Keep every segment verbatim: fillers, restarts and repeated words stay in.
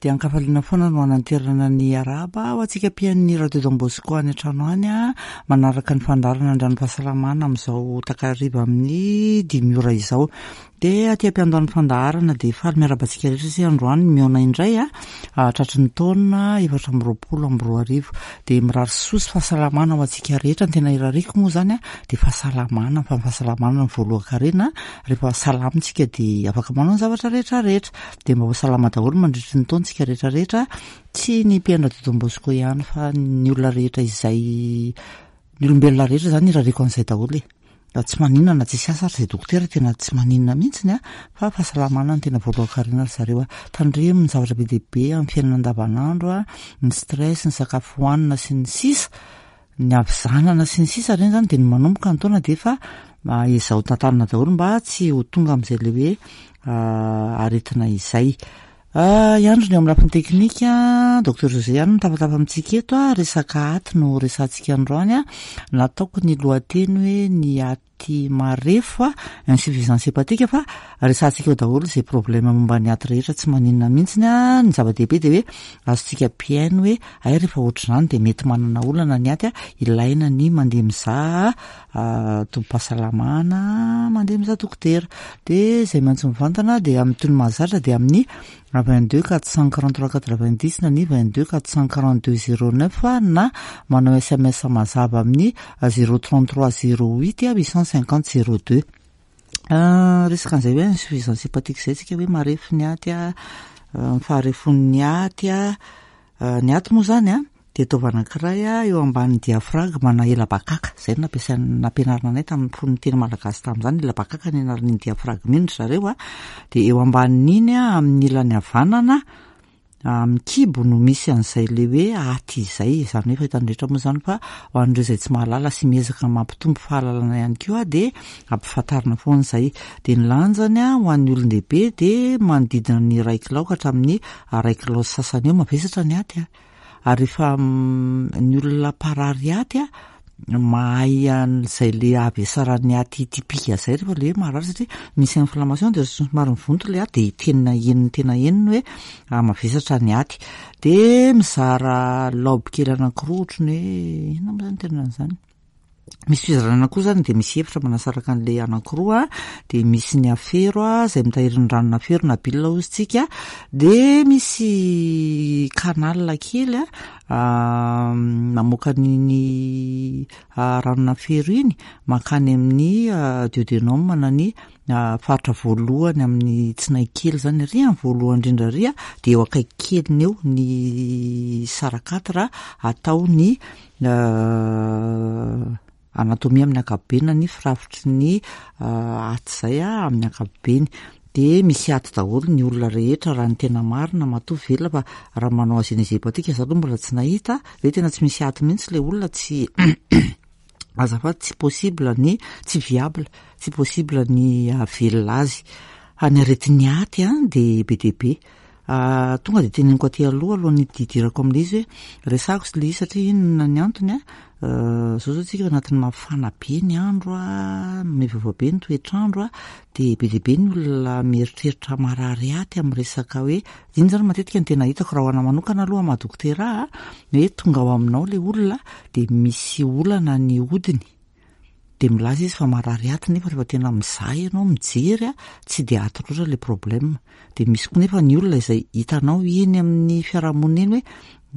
Dia ankafaliana foana no ananterana ny araba ho antsika mpihaino ny Radio Don Bosco any an-trano any a, manaraka ny fandaharana Andran'ny Fahasalamana amin'izao takariva amin'ny dimy ora izao. Dia aty am-piandohan'ny fandaharana dia faly miarahaba antsika rehetra isika androany mihaona indray a, tratry ny taona efatra amby roapolo amby roa arivo. Dia mirary soa sy fahasalamana ho antsika rehetra. Ny tena irariako moa izany a dia fahasalamana, fa ny fahasalamana no voalohan-karena. Rehefa salama isika dia afaka manao ny zavatra rehetra rehetra. Dia mba ho salama daholo mandritry ny taona isika rehetra rehetra, tsy ny mpihaino Radio Don Bosco ihany fa ny olona rehetra izay, ny olombelona rehetra izany irariako an'izay daholo e. Tsy maninona na tsisy asa ary izay dokotera, tena tsy maninona mihitsiny a, fa fahasalamana no tena voalohan-karena ry zareo a. Tandremo ny zavatra be dia be amin'ny fiainana andavanandro a, ny stress, ny sakafo hohanina sy ny sisa, ny havizanana sy ny sisa ireny izany dia ny manomboka ny taona dia efa ezao tantanana daholo mba tsy ho tonga amin'izay le hoe aretina izay. Iandro ny eo amin'ny lafiny teknika, Docteur José ihany no mitafatafa amintsika eto a, resaka aty no resahantsika androany a. Nataoko ny lohateny hoe ny aty marefo a, insuffisance hépatique, fa resahantsika eo daholo izay problème momba ny aty rehetra, tsy maninona mihitsiny a. Ny zava-dehibe dia hoe azontsika mpihaino hoe ay rehefa ohatr'izany dia mety manana olana ny aty a, ilaina ny mandeha mizaha tobim-pahasalamana, mandeha mizaha dokotera. Dia izay miantso mivantana dia amin'ny toy ny mahazatra dia amin'ny vingt-deux quatre cent quarante-trois quatre-vingt-dix na ny vingt-deux quatre cent quarante-deux zéro neuf na manao S M S mazava amin'ny zéro trente-trois zéro huit huit cent cinquante zéro deux. Resaka an'izay hoe insuffisance hépatique izay tsika, hoe marefo ny aty a, ny faharefon'ny aty a. Ny aty moa zany a dia taova anankiray a eo ambanin'ny diaphragme na ela-bakaka zay no nampiasaina, nampianarina anay tamin'ny fony teny malagasy tamin'izany. Ela-bakaka ny anaran'iny diaphragme iny ry zareo a. Dia eo ambanin'iny a, amin'ny ilany havanana amin'ny kibo no misy an'izay le hoe aty izay. Izany hoe fahitany rehetra moa zany, fa ho an'ireo izay tsy mahalala sy miezaka mampitombo fahalalana ihany koa dia ampifantarina foana izay. Dia ny lanjany a, ho an'ny olon-dehibe dia manodidina ny iray kilao ka hatramin'ny iray kilao sy sasany eo. Mavesatra ny aty a, ary rehefa ny olona mparary aty a mahay an'izay le havesaran'ny aty typique zay rehefa le hoe marary, satria misy inflammation de somary mivonto le aty, de tena henony, tena henony hoe mavesatra ny aty. De mizara lobe kely anankiroa, ohatrany hoe inona moa zany tena an'izany, misy fizarana koa zany, de misy efitra manasaraka an'le anankiroa. De misy ny afero a, zay mitahiry ny ranona afero na bile hozy tsika. De misy canal kely a mamoaka n'iny ranona afero iny mankany amin'ny duodénum na ny faritra voalohany amin'ny tsinay kely zany ary amin'ny voalohany indrindra ary a. De eo akaiky keliny eo ny sarakatra atao ny anatomia amin'ny ankapobeny na ny firafitry ny aty zay a amin'ny ankapobeny. De misy aty daholo ny olona rehetra raha ny tena marina matoa velona, fa raha manao agénésie hépatique za aloha mbola tsy nahita hoe tena tsy misy aty mihitsy le olona. Tsy azafady, tsy possible, ny tsy viable, tsy possible ny ahavelona azy. Fa ny aretin'ny aty a de be dia be. Tonga de teneniko aty aloha, alohan'ny hidirako amin'le izy, hoe resahako sy le izy satria inona ny antony a. Zao zao tsika anatin'ny mafana be ny andro a, miovaova be ny toetr'andro a, de be dia be ny olona mieritreritra marary aty amin'ny resaka hoe iny zany matetika ny tena hitako raha ho ana manokana aloha maha dokotera a, hoe tonga ao aminao le olona de misy olana ny hodiny, de milaza izy fa marary aty, nefa rehefa tena mizaha ianao, mijery a, tsy de aty loatra le problème. De misy koa nefa ny olona izay hitanao eny amin'ny fiarahamonina eny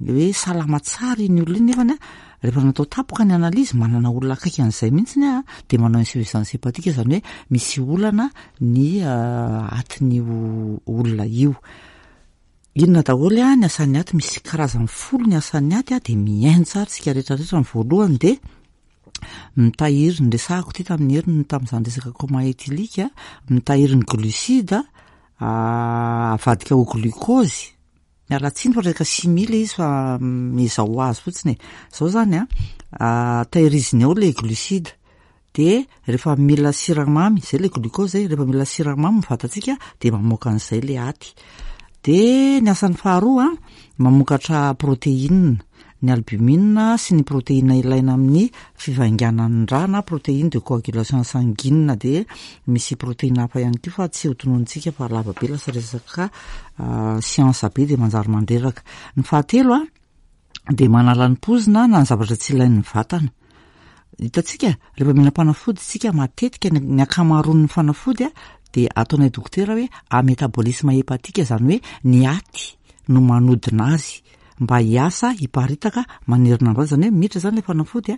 hoe hoe salama tsara iny olona iny, nefany a rehefa natao tapoka ny analyse, manana olona akaiky an'izay mihitsiny a, de manao insuffisance hépatique, zany hoe misy olana ny atin'io olona io. Inona daholo a ny asan'ny aty? Misy karazany folo ny asan'ny aty a, de mihaino tsara tsika rehetrarehetra. Ny voalohany de mitahiry ny, resahako ty tamin'ny heriny tamin'izany resaka coma éthylique, mitahiry ny glucide avadika ho glucose. Miala tsiny fa resaka chimie le izy, fa mizao azy fotsiny e. Zao zany a, tahiriziny ao le glucide, de rehefa mila siramamy zay le glucose zay, rehefa mila siramamy ny vatantsika de mamoaka an'izay le aty. De ny asan'ny faharoa a, mamokatra protéine. ny albumine sy ny protéine ilaina amin'ny fivainganan'ny rà na protéine de coagulation sanguine. De misy protéine hafa ihany koa fa tsy ho tononontsika fa lava be, lasa resaka siansa be de manjary mandreraka. Ny fahatelo a de manala ny pozina na ny zavatra tsy ilain'ny vatana. Hitantsika rehefa mihinam-panafody tsika matetika, ny ankamaroan'ny fanafody a de ataonay dokotera hoe à métabolisme hépatique, zany hoe ny aty no manodina azy mba hiasa hiparitaka manerina ny vatana. Zany hoe miditra zany le fanafody a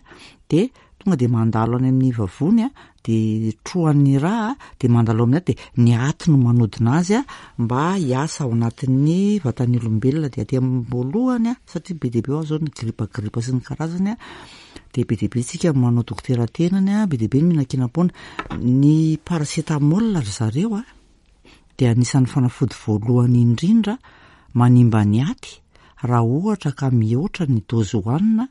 de tonga de mandalo any amin'ny vavony a de trohan'ny rà de mandalo amin'ny aty, de ny aty no manodina azy a mba hiasa ao anatin'ny vatan'ny olombelona. De aty am-boalohany a satria be dia be ao zao ny gripa gripa sy ny karazany a de be dia be tsika manao dokotera tenany a be dia be ny mihinan-kinam-poana ny paracétamol ry zareo a de anisan'ny fanafody voalohany indrindra manimba ny aty raha ohatra ka mihoatra ny dozy hohanina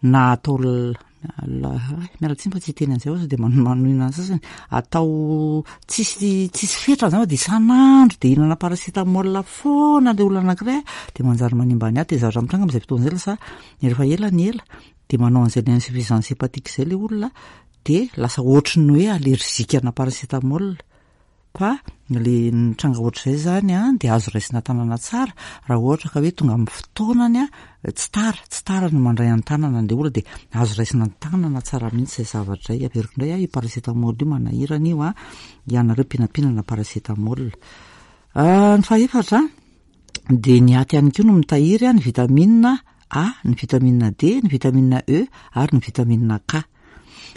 na atao, miala tsiny fa tsy hiteny an'izay ao, de manohina ny sasany, atao tsisy tsisy fetrany zany fa de isan'andro de hihinana paracétamol foana le olona anankiray, de manjary manimba ny aty. De zavatra mitranga am'izay fotoana zay, lasa rehefa ela ny ela de manao an'izay le insuffisance hépatique zay le olona, de lasa ohatry ny hoe allergique ana paracétamol. Fa le nitranga ohatr'izay zany a de azo raisina tanana tsara raha ohatra ka hoe tonga amin'ny fotoanany a tsy tara tsy tara no mandray an-tanana an'le olona, de azo raisina an-tanana tsara mihitsy zay zavatra zay. Averiko indray a io paracétamol io manahirana io a ianareo mpinampihinana paracétamol. Ny fahefatra de ny aty ihany koa no mitahiry a ny vitamine A, ny vitamine D, ny vitamine E ary ny vitamine K.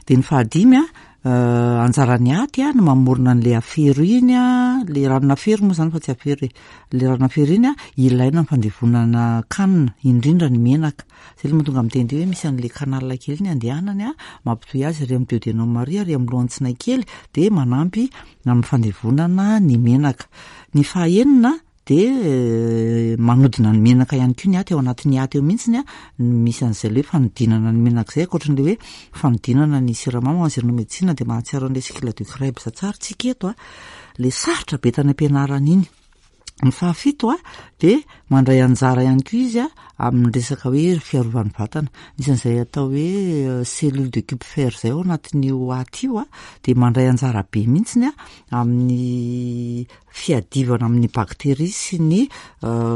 De ny fahadimy a anjaran'ny aty a no mamorona an'le afero iny a le ranona afero moa zany fa tsy afero e, le ranona afero iny a ilaina amin'ny fandevonana kanina, indrindra ny menaka. Zay le mahatonga miteny hoe misy an'le canal kely iny andehanany a mampitohy azy ary amin'ny duodénum ary ary amin'ny lohan'ny tsinay kely, de manampy amin'ny fandevonana ny menaka. Ny fahaenina de manodina ny menaka ihany koa ny aty. Ao anatin'ny aty eo mihitsiny a misy an'izay le hoe fanodinana ny menaka zay, ankoatran'le hoe fanodinana ny siramamy. Ho an'izay nanao médecine de mahatsiaro an'le cycle de Krebs tsara tsika eto a le sarotra be tany am-pianarana iny. Ny fahafito a de mandray anjara ihany koa izy a amin'ny resaka hoe fiarovan'ny vatana. Misy an'izay atao hoe cellule de Kupffer zay ao anatin'io aty io a de mandray anjara be mihitsiny a amin'ny fiadivana amin'ny bakteria sy ny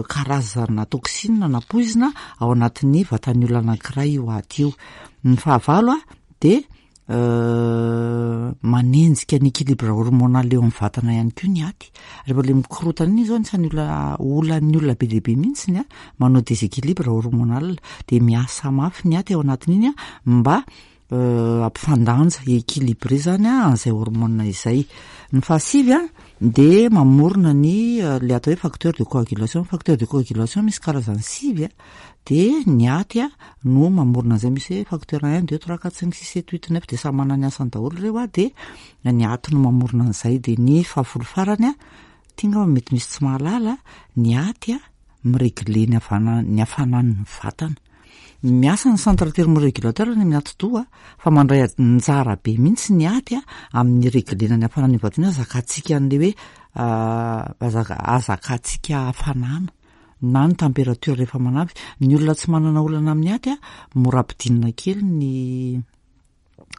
karazana toxine na poizina ao anatin'ny vatan'ny olona anankiray io aty io. Ny fahavalo a de manenjika ny équilibre hormonal eo amin'ny vatana ihany koa ny aty. Rehefa le mikorotana iny zao, anisan'ny olona olan'ny olona be dia be mihitsiny a manao déséquilibre hormonal, de miasa mafy ny aty ao anatin'iny a mba ampifandanja, équilibré zany a an'izay hormone izay. Ny fahasivy a de mamorona ny le atao hoe facteur de coagulation. Facteur de coagulation misy karazany sivy a de ny aty a no mamorona an'izay. Misy hoe facteur un, deux, trois, quatre, cinq, six, sept, huit, neuf, de samy manana ny asany daholo ireo a de ny aty no mamorona an'izay. De ny fahafolo farany a ty ngamba mety misy tsy mahalala, ny aty a miregle ny havana ny hafanan'ny vatana. Miasa ny centre thermorégulateur ny amin'ny atidoha fa mandray anjara be mihitsy ny aty a amin'ny reglena ny hafanan'ny vatana io, azakantsika an'le hoe azaka azakantsika hafanana na ny température rehefa manavy. Ny olona tsy manana olana amin'ny aty a mora ampidinina kely ny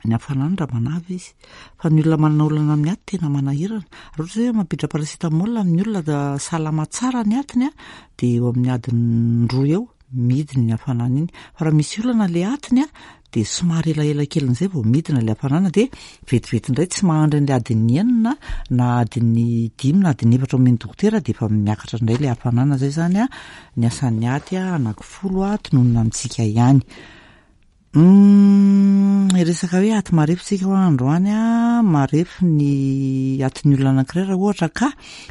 ny hafanana raha manavy izy, fa ny olona manana olana amin'ny aty tena manahirana. Raha ohatra hoe mampiditra paracétamol amin'ny olona salama tsara ny atiny a de eo amin'ny adiny roa eo midina ny hafanana iny, fa raha misy olana le atiny a de somary elaela kelin'izay vao midina le hafanana, de vetivety indray tsy mahandry an'le adiny enina na adiny dimy na adiny efatra omeny dokotera de efa miakatra indray le hafanana. Zay zany a ny asan'ny aty a anaky folo a tononina amintsika ihany. Resaka hoe aty marefo tsika ho androany a marefo ny atin'ny olona anankiray raha ohatra ka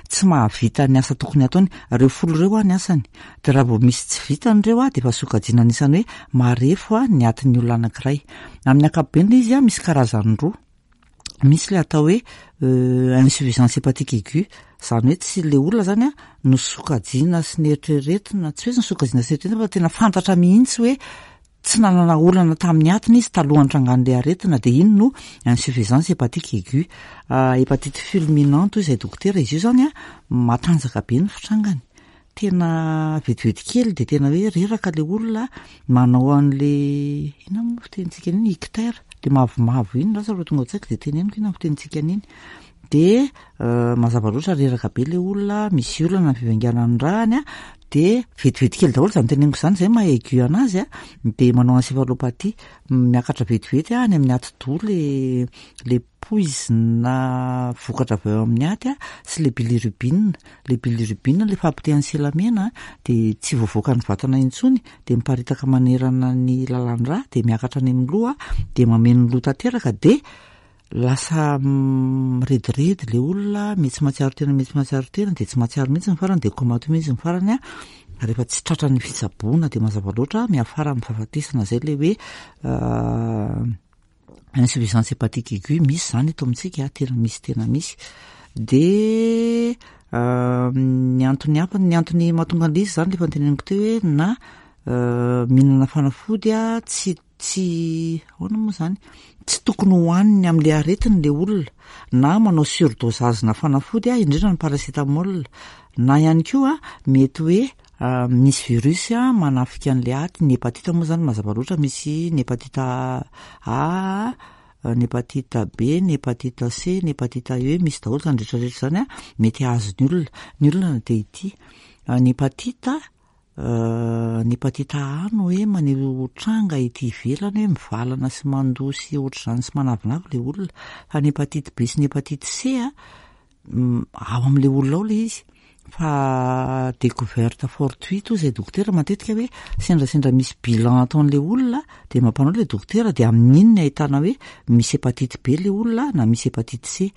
tsy mahavita ny asa tokony ataony reo folo ireo a ny asany, de raha vao misy tsy vitany ireo a de efa sokajiana anisany hoe marefo a ny atin'ny olona anankiray. Amin'ny ankapobeny izy a misy karazany roa: misy le atao hoe insuffisance hépatique aiguë, zany hoe tsy le olona zany a no sokajiana sy nieritreretina, tsy hoe ny sokajiana sy nieritreretina fa tena fantatra mihitsy hoe tsy nanana olana tamin'ny atiny izy talohan'ny trangan'le aretina, de iny no insuffisance hépatique aiguë. Hépatite fulminante hoy izay dokotera izy io zany a matanjaka be ny fitrangany. Tena vetivety kely de tena hoe reraka le olona, manao an'le inona moa fitenintsika an'iny, ictère, le mavomavo iny, lasa rehefa tonga an-tsaiko de teneniko inona fitenintsika an'iny. De mazava loatra reraka be le olona, misy olana ny fivainganan'ny rany a, de vetivety kely daholo zany teneniko zany, zay maha aigu anazy a, de manao encéphalopathie, miakatra vetivety a any amin'ny atidoha le le poizina vokatra avy ao amin'ny aty a sy le bilirubine. Le bilirubine le fahapotehan'ny sela mena de tsy voavoaka ny vatana intsony, de miparitaka manerana ny lalan-drà, de miakatra any amin'ny loha, de mameno ny loha tanteraka, de lasa mirediredy le olona, mety tsy mahatsiaro tena, mety tsy mahatsiaro tena, de tsy mahatsiaro mihitsy ny farany, de comateux mihitsy ny farany a. Rehefa tsy tratra ny fitsaboana de mazava loatra miafara amin'ny fahafatesana. Zay le hoe insuffisance hépatique aiguë. Misy zany eto amintsika, tena misy, tena misy. De ny antony hafa, ny antony mahatonga an'le izy zany, le efa noteneniko teo hoe na mihinana fanafody a tsy tsy ahoana moa zany, tsy tokony hohaniny amin'le aretiny le olona, na manao surdosage na fanafody a, indrindra ny paracétamol, na ihany koa mety hoe misy virus a manafika an'le aty. Ny hépatite moa zany mazava loatra, misy ny hépatite A, ny hépatite B, ny hépatite C, ny hépatite E, misy daholo zany rehetrarehetra zany a mety hahazo ny olona. Ny olona de ity ny hépatite ny hépatite A no hoe maneho tranga ety ivelany hoe mivalana sy mandoa sy ohatr'izany sy manavinavy le olona, fa ny hépatite B sy ny hépatite C a ao amin'le olona ao le izy, fa découverte fortuite hoy zay dokotera matetika, hoe sendrasendra misy bilan ataon'le olona de mampanao le dokotera, de amin'iny ny ahitana hoe misy hépatite B le olona na misy hépatite C.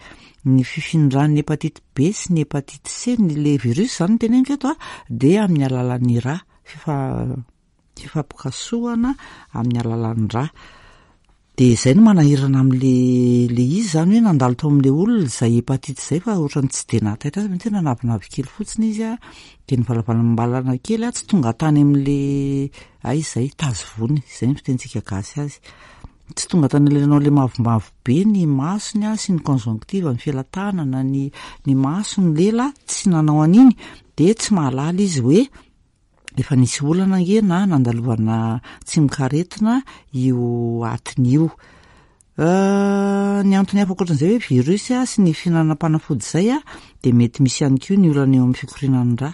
Ny fifindran'ny hépatite B sy ny hépatite C, ny le virus zany no teneniko eto a, de amin'ny alalan'ny rà, fifa fifampikasohana amin'ny alalan'ny rà. De zay no manahirana am'le le izy zany, hoe nandalo tao amin'le olona zay hépatite zay, fa ohatrany tsy de nahataitra azy, mety hoe nanavinavy kely fotsiny izy a, de nivalavalambalana kely a, tsy tonga tany amin'le aiza zay tazo vony zay ny fitentsika gasy azy, tsy tonga tany am'le nanao le mavomavo be ny masony a sy ny conjonctive, ny felatanana, ny ny maso, ny lela, tsy nanao an'iny, de tsy mahalala izy hoe efa nisy olana ange na nandalovana tsimokaretina io atiny io. Ny antony hafa ankoatran'izay hoe virus a sy ny fihinanam-panafody zay a, de mety misy ihany koa ny olana eo amin'ny fikorianan'ny rà.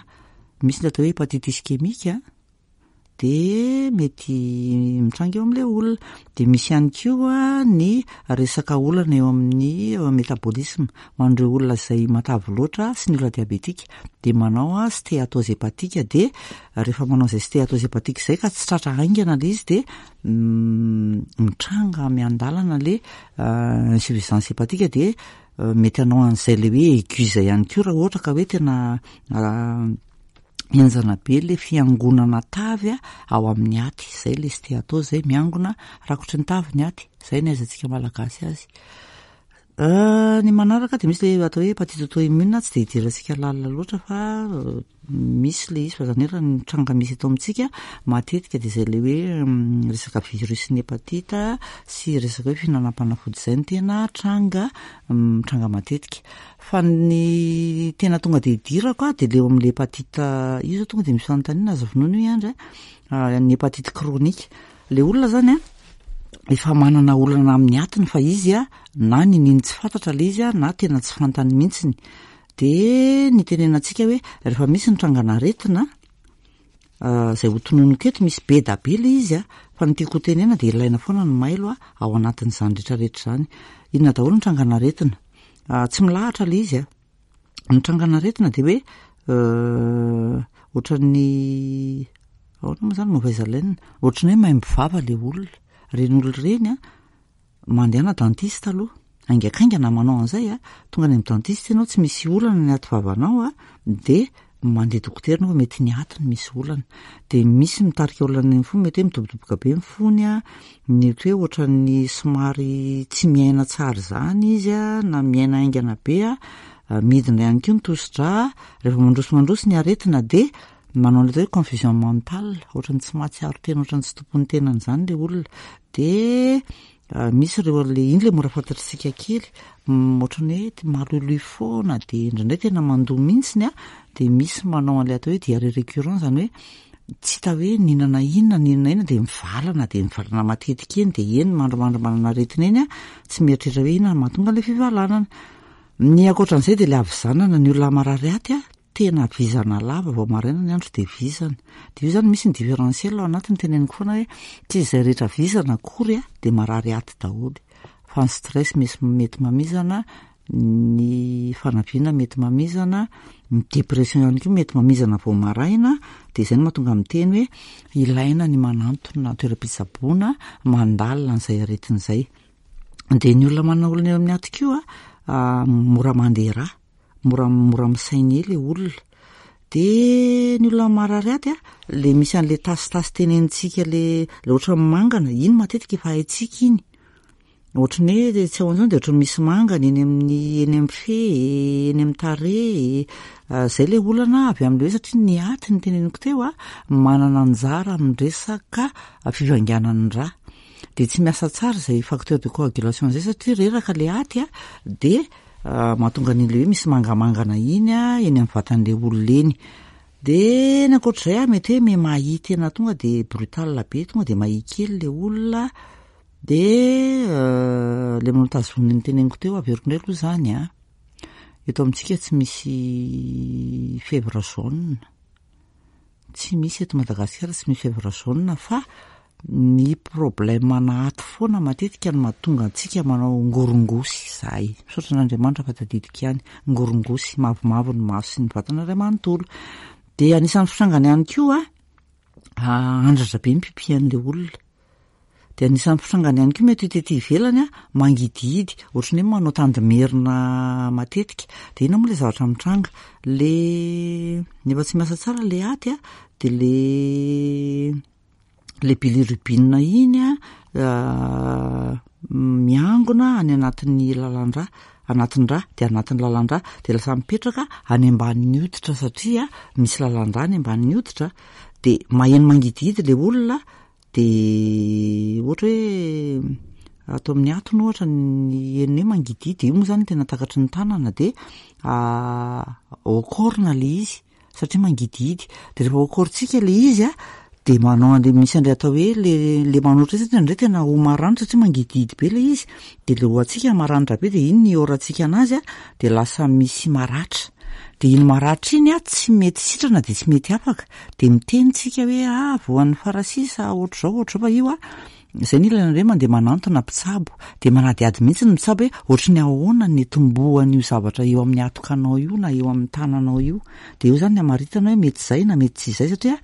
Misy ny atao hoe hépatite ischémique de mety mitranga eo amin'le olona. De misy ihany koa ny resaka olana eo amin'ny métabolisme ho an'ireo olona izay matavy loatra sy ny olona diabetika, de manao a stéatose hépatique. De rehefa manao izay stéatose hépatique zay ka tsy tratra haingana le izy, de mitranga miandalana le insuffisance hépatique, de mety hanao an'izay le hoe aigu zay ihany koa raha ohatra ka hoe tena henjana be le fiangonana tavy a ao amin'ny aty zay, le stéatose zay, miangona rakotry ny tavy ny aty, zay ny ahaizantsika malagasy azy. Ny manaraka de misy le atao hoe hépatite auto-immune, tsy de idirantsika lalina loatra fa misy le izy, fa zany hoe raha ny tranga misy eto amintsika matetika de zay le hoe resaka virus ny hépatite sy resaka hoe fihinanam-panafody zay no tena tranga mitranga matetika. Fa ny tena tonga de idirako a de le eo amin'le hépatite io zao, tonga de misy fanontaniana azo vonoina io Andry a, ny hépatite chronique. Le olona zany a efa manana olana amin'ny atiny, fa izy a na nininy tsy fantatra le izy a na tena tsy fantany mihitsiny. De ny tenenantsika hoe rehefa misy ny trangan'aretina zay ho tononiko eto, misy be da be le izy a, fa ny tiako ho tenena de ilaina foana ny mailo a ao anatin'izany rehetrarehetra zany. Inona daholo ny trangan'aretina? Tsy milahatra le izy a. Ny trangan'aretina de hoe ohatran'ny ahoana moa zany, mauvaise haleine, ohatran'ny hoe maimbo vava le olona. Reny olona ireny a mandehana dentiste aloha haingakaingana manao an'izay a, tonga any amin'ny dentiste ianao, tsy misy olana ny aty vavanao a, de mandeha dokotera anao fa mety ny atiny misy olana. De misy mitarika olana amin'ny fo, mety hoe midobodoboka be ny fony a, mety hoe ohatran'ny somary tsy miaina tsara zany izy a, na miaina haingana be a, midina ihany koa ny tosi-drà. Rehefa mandroso mandroso ny aretina de manao an'ilay atao hoe confusion mentale, ohatran'ny tsy mahatsiaro tena, ohatran'ny tsy tompon'ny tenany zany le olona. De Misy ireo le iny le mora fantatritsika kely, ohatran'ny hoe maloiloy foana, de indraindray tena mandoa mihitsiny a, de misy manao an'ilay atao hoe diarrhée récurrent, zany hoe tsy hita hoe nihinana inona nihinana inona de mivalana, de mivalana matetika eny, de eny mandrimandry manana aretina eny a, tsy mieritreritra hoe inona no mahatonga an'ilay fivalanana. Ny ankoatran'izay de le havizanana, ny olona marary aty a, tena vizana lava vao maraina ny andro de vizana. De io zany misy ny différentiel ao anatiny, teneniko foana hoe tsy izay rehetra vizana akory a de marary aty daholo, fa ny stress misy mety mamizana, ny fanaviana mety mamizana, ny dépression ihany koa mety mamizana vao maraina. De izay no mahatonga miteny hoe ilaina ny manantona toeram-pitsaboana mandalina an'izay aretina izay. De ny olona manana olana eo amin'ny aty koa a, mora mandeha rà, mora mora misaigner le olona. De ny olona marary aty a, le misy an'le tasitasy tenenintsika, le le ohatran'ny mangana iny matetika efa haintsika iny, ohatran'ny hoe tsy ao an'izany de ohatran'ny misy mangana eny amin'ny eny amin'ny fe, eny amin'ny tarehy, zay le olana avy amin'le hoe satria ny aty ny teneniko teo a manana anjara amin'ny resaka fivanganan'ny rà, de tsy miasa tsara izay facteur de coagulation zay satria reraka le aty a, de mahatonga an'ile hoe misy mangamangana iny a eny amin'ny vatan'le olona eny. De ny ankoatr'izay a mety hoe mihamahi tena tonga de brutal be, tonga de mahia kely le olona. De le manao tazomina ny teneniko teo, averiko indray aloha zany a, eto amintsika tsy misy fièvre jaune, tsy misy eto Madagasikara, tsy misy fièvre jaune, fa ny problème anaty foana matetika no mahatonga antsika manao ngorongosy zahay. Misaotra an'Andriamanitra fa tadidiko ihany, ngorongosy mavomavo ny maso sy ny vatana iray manontolo. De anisan'ny fitrangany ihany koa a, andratra be ny pipian'le olona. De anisan'ny fitrangany ihany koa mety ho tety ivelany a, mangidihidy, ohatran'ny hoe manao tandimerina matetika. De inona moa le zavatra mitranga? Le nefa tsy miasa tsara le aty a, de le le bilirubine iny a miangona any anatin'ny lalan-drà, anatin'ny rà, de anatin'ny lalan-drà, de lasa mipetraka any ambanin'ny hoditra satria misy lalan-drà any ambanin'ny hoditra, de maheno mangidihidy le olona. De ohatra hoe atao amin'ny atony ohatra ny henony hoe mangidihidy, io moa zany tena takatry ny tanana, de okorina le izy satria mangidihidy. De rehefa okorintsika le izy a, de manao an'le misy an'le atao hoe le le manoatra iny, satria indraindray tena ho maranitra satria mangidihidy be le izy, de le hoantsika maranitra be, de iny ny orantsika anazy a, de lasa misy maratra, de iny maratra iny a tsy mety sitrana, de tsy mety afaka, de miteny tsika hoe ah voan'ny farasisa ohatr'izao ohatr'izao. Fa io a zay ny ilana hoe mandeha manantona mpitsabo, de manadihady mihitsy ny mpitsabo hoe ohatry ny ahoana ny tombohan'io zavatra eo amin'ny atokanao io na eo amin'ny tananao io. De eo zany ny amaritana hoe mety zay na mety tsy izay, satria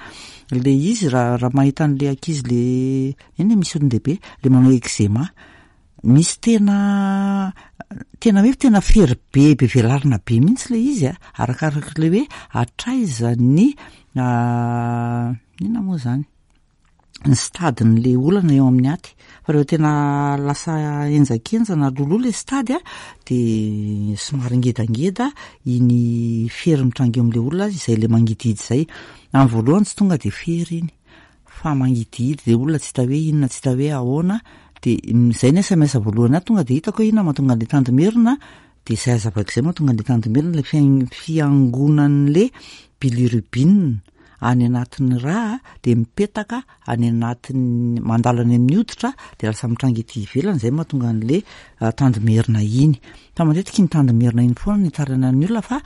le izy raha raha mahita an'le ankizy le eny misy olon-dehibe le manao eczéma, misy tena tena hoe tena fery be be velarina be mihitsy le izy a, arakaraka le hoe hatraiza ny inona moa zany ny stade-n'le olana eo amin'ny aty. Fa rehefa tena lasa henjakenjana loloha le stade a, de somary ngedangeda iny fery mitranga eo amin'le olona izay le mangidihidy zay. Amin'ny voalohany tsy tonga de fery iny fa mangidihidy, de olona tsy hita hoe inona, tsy hita hoe ahoana. De zay ny S M S voalohany ahy tonga de hitako hoe inona mahatonga an'le tandimerina, de zay hazavaiko zay mahatonga an'le tandimerina, le fian- fiangonan'le bilirubine any anatin'ny rà, de mipetaka any anatin'ny mandalo any amin'ny hoditra, de lasa mitranga ety ivelany, zay mahatonga an'le tandimerina iny. Fa matetika iny tandimerina iny foana no itarainan'ny olona, fa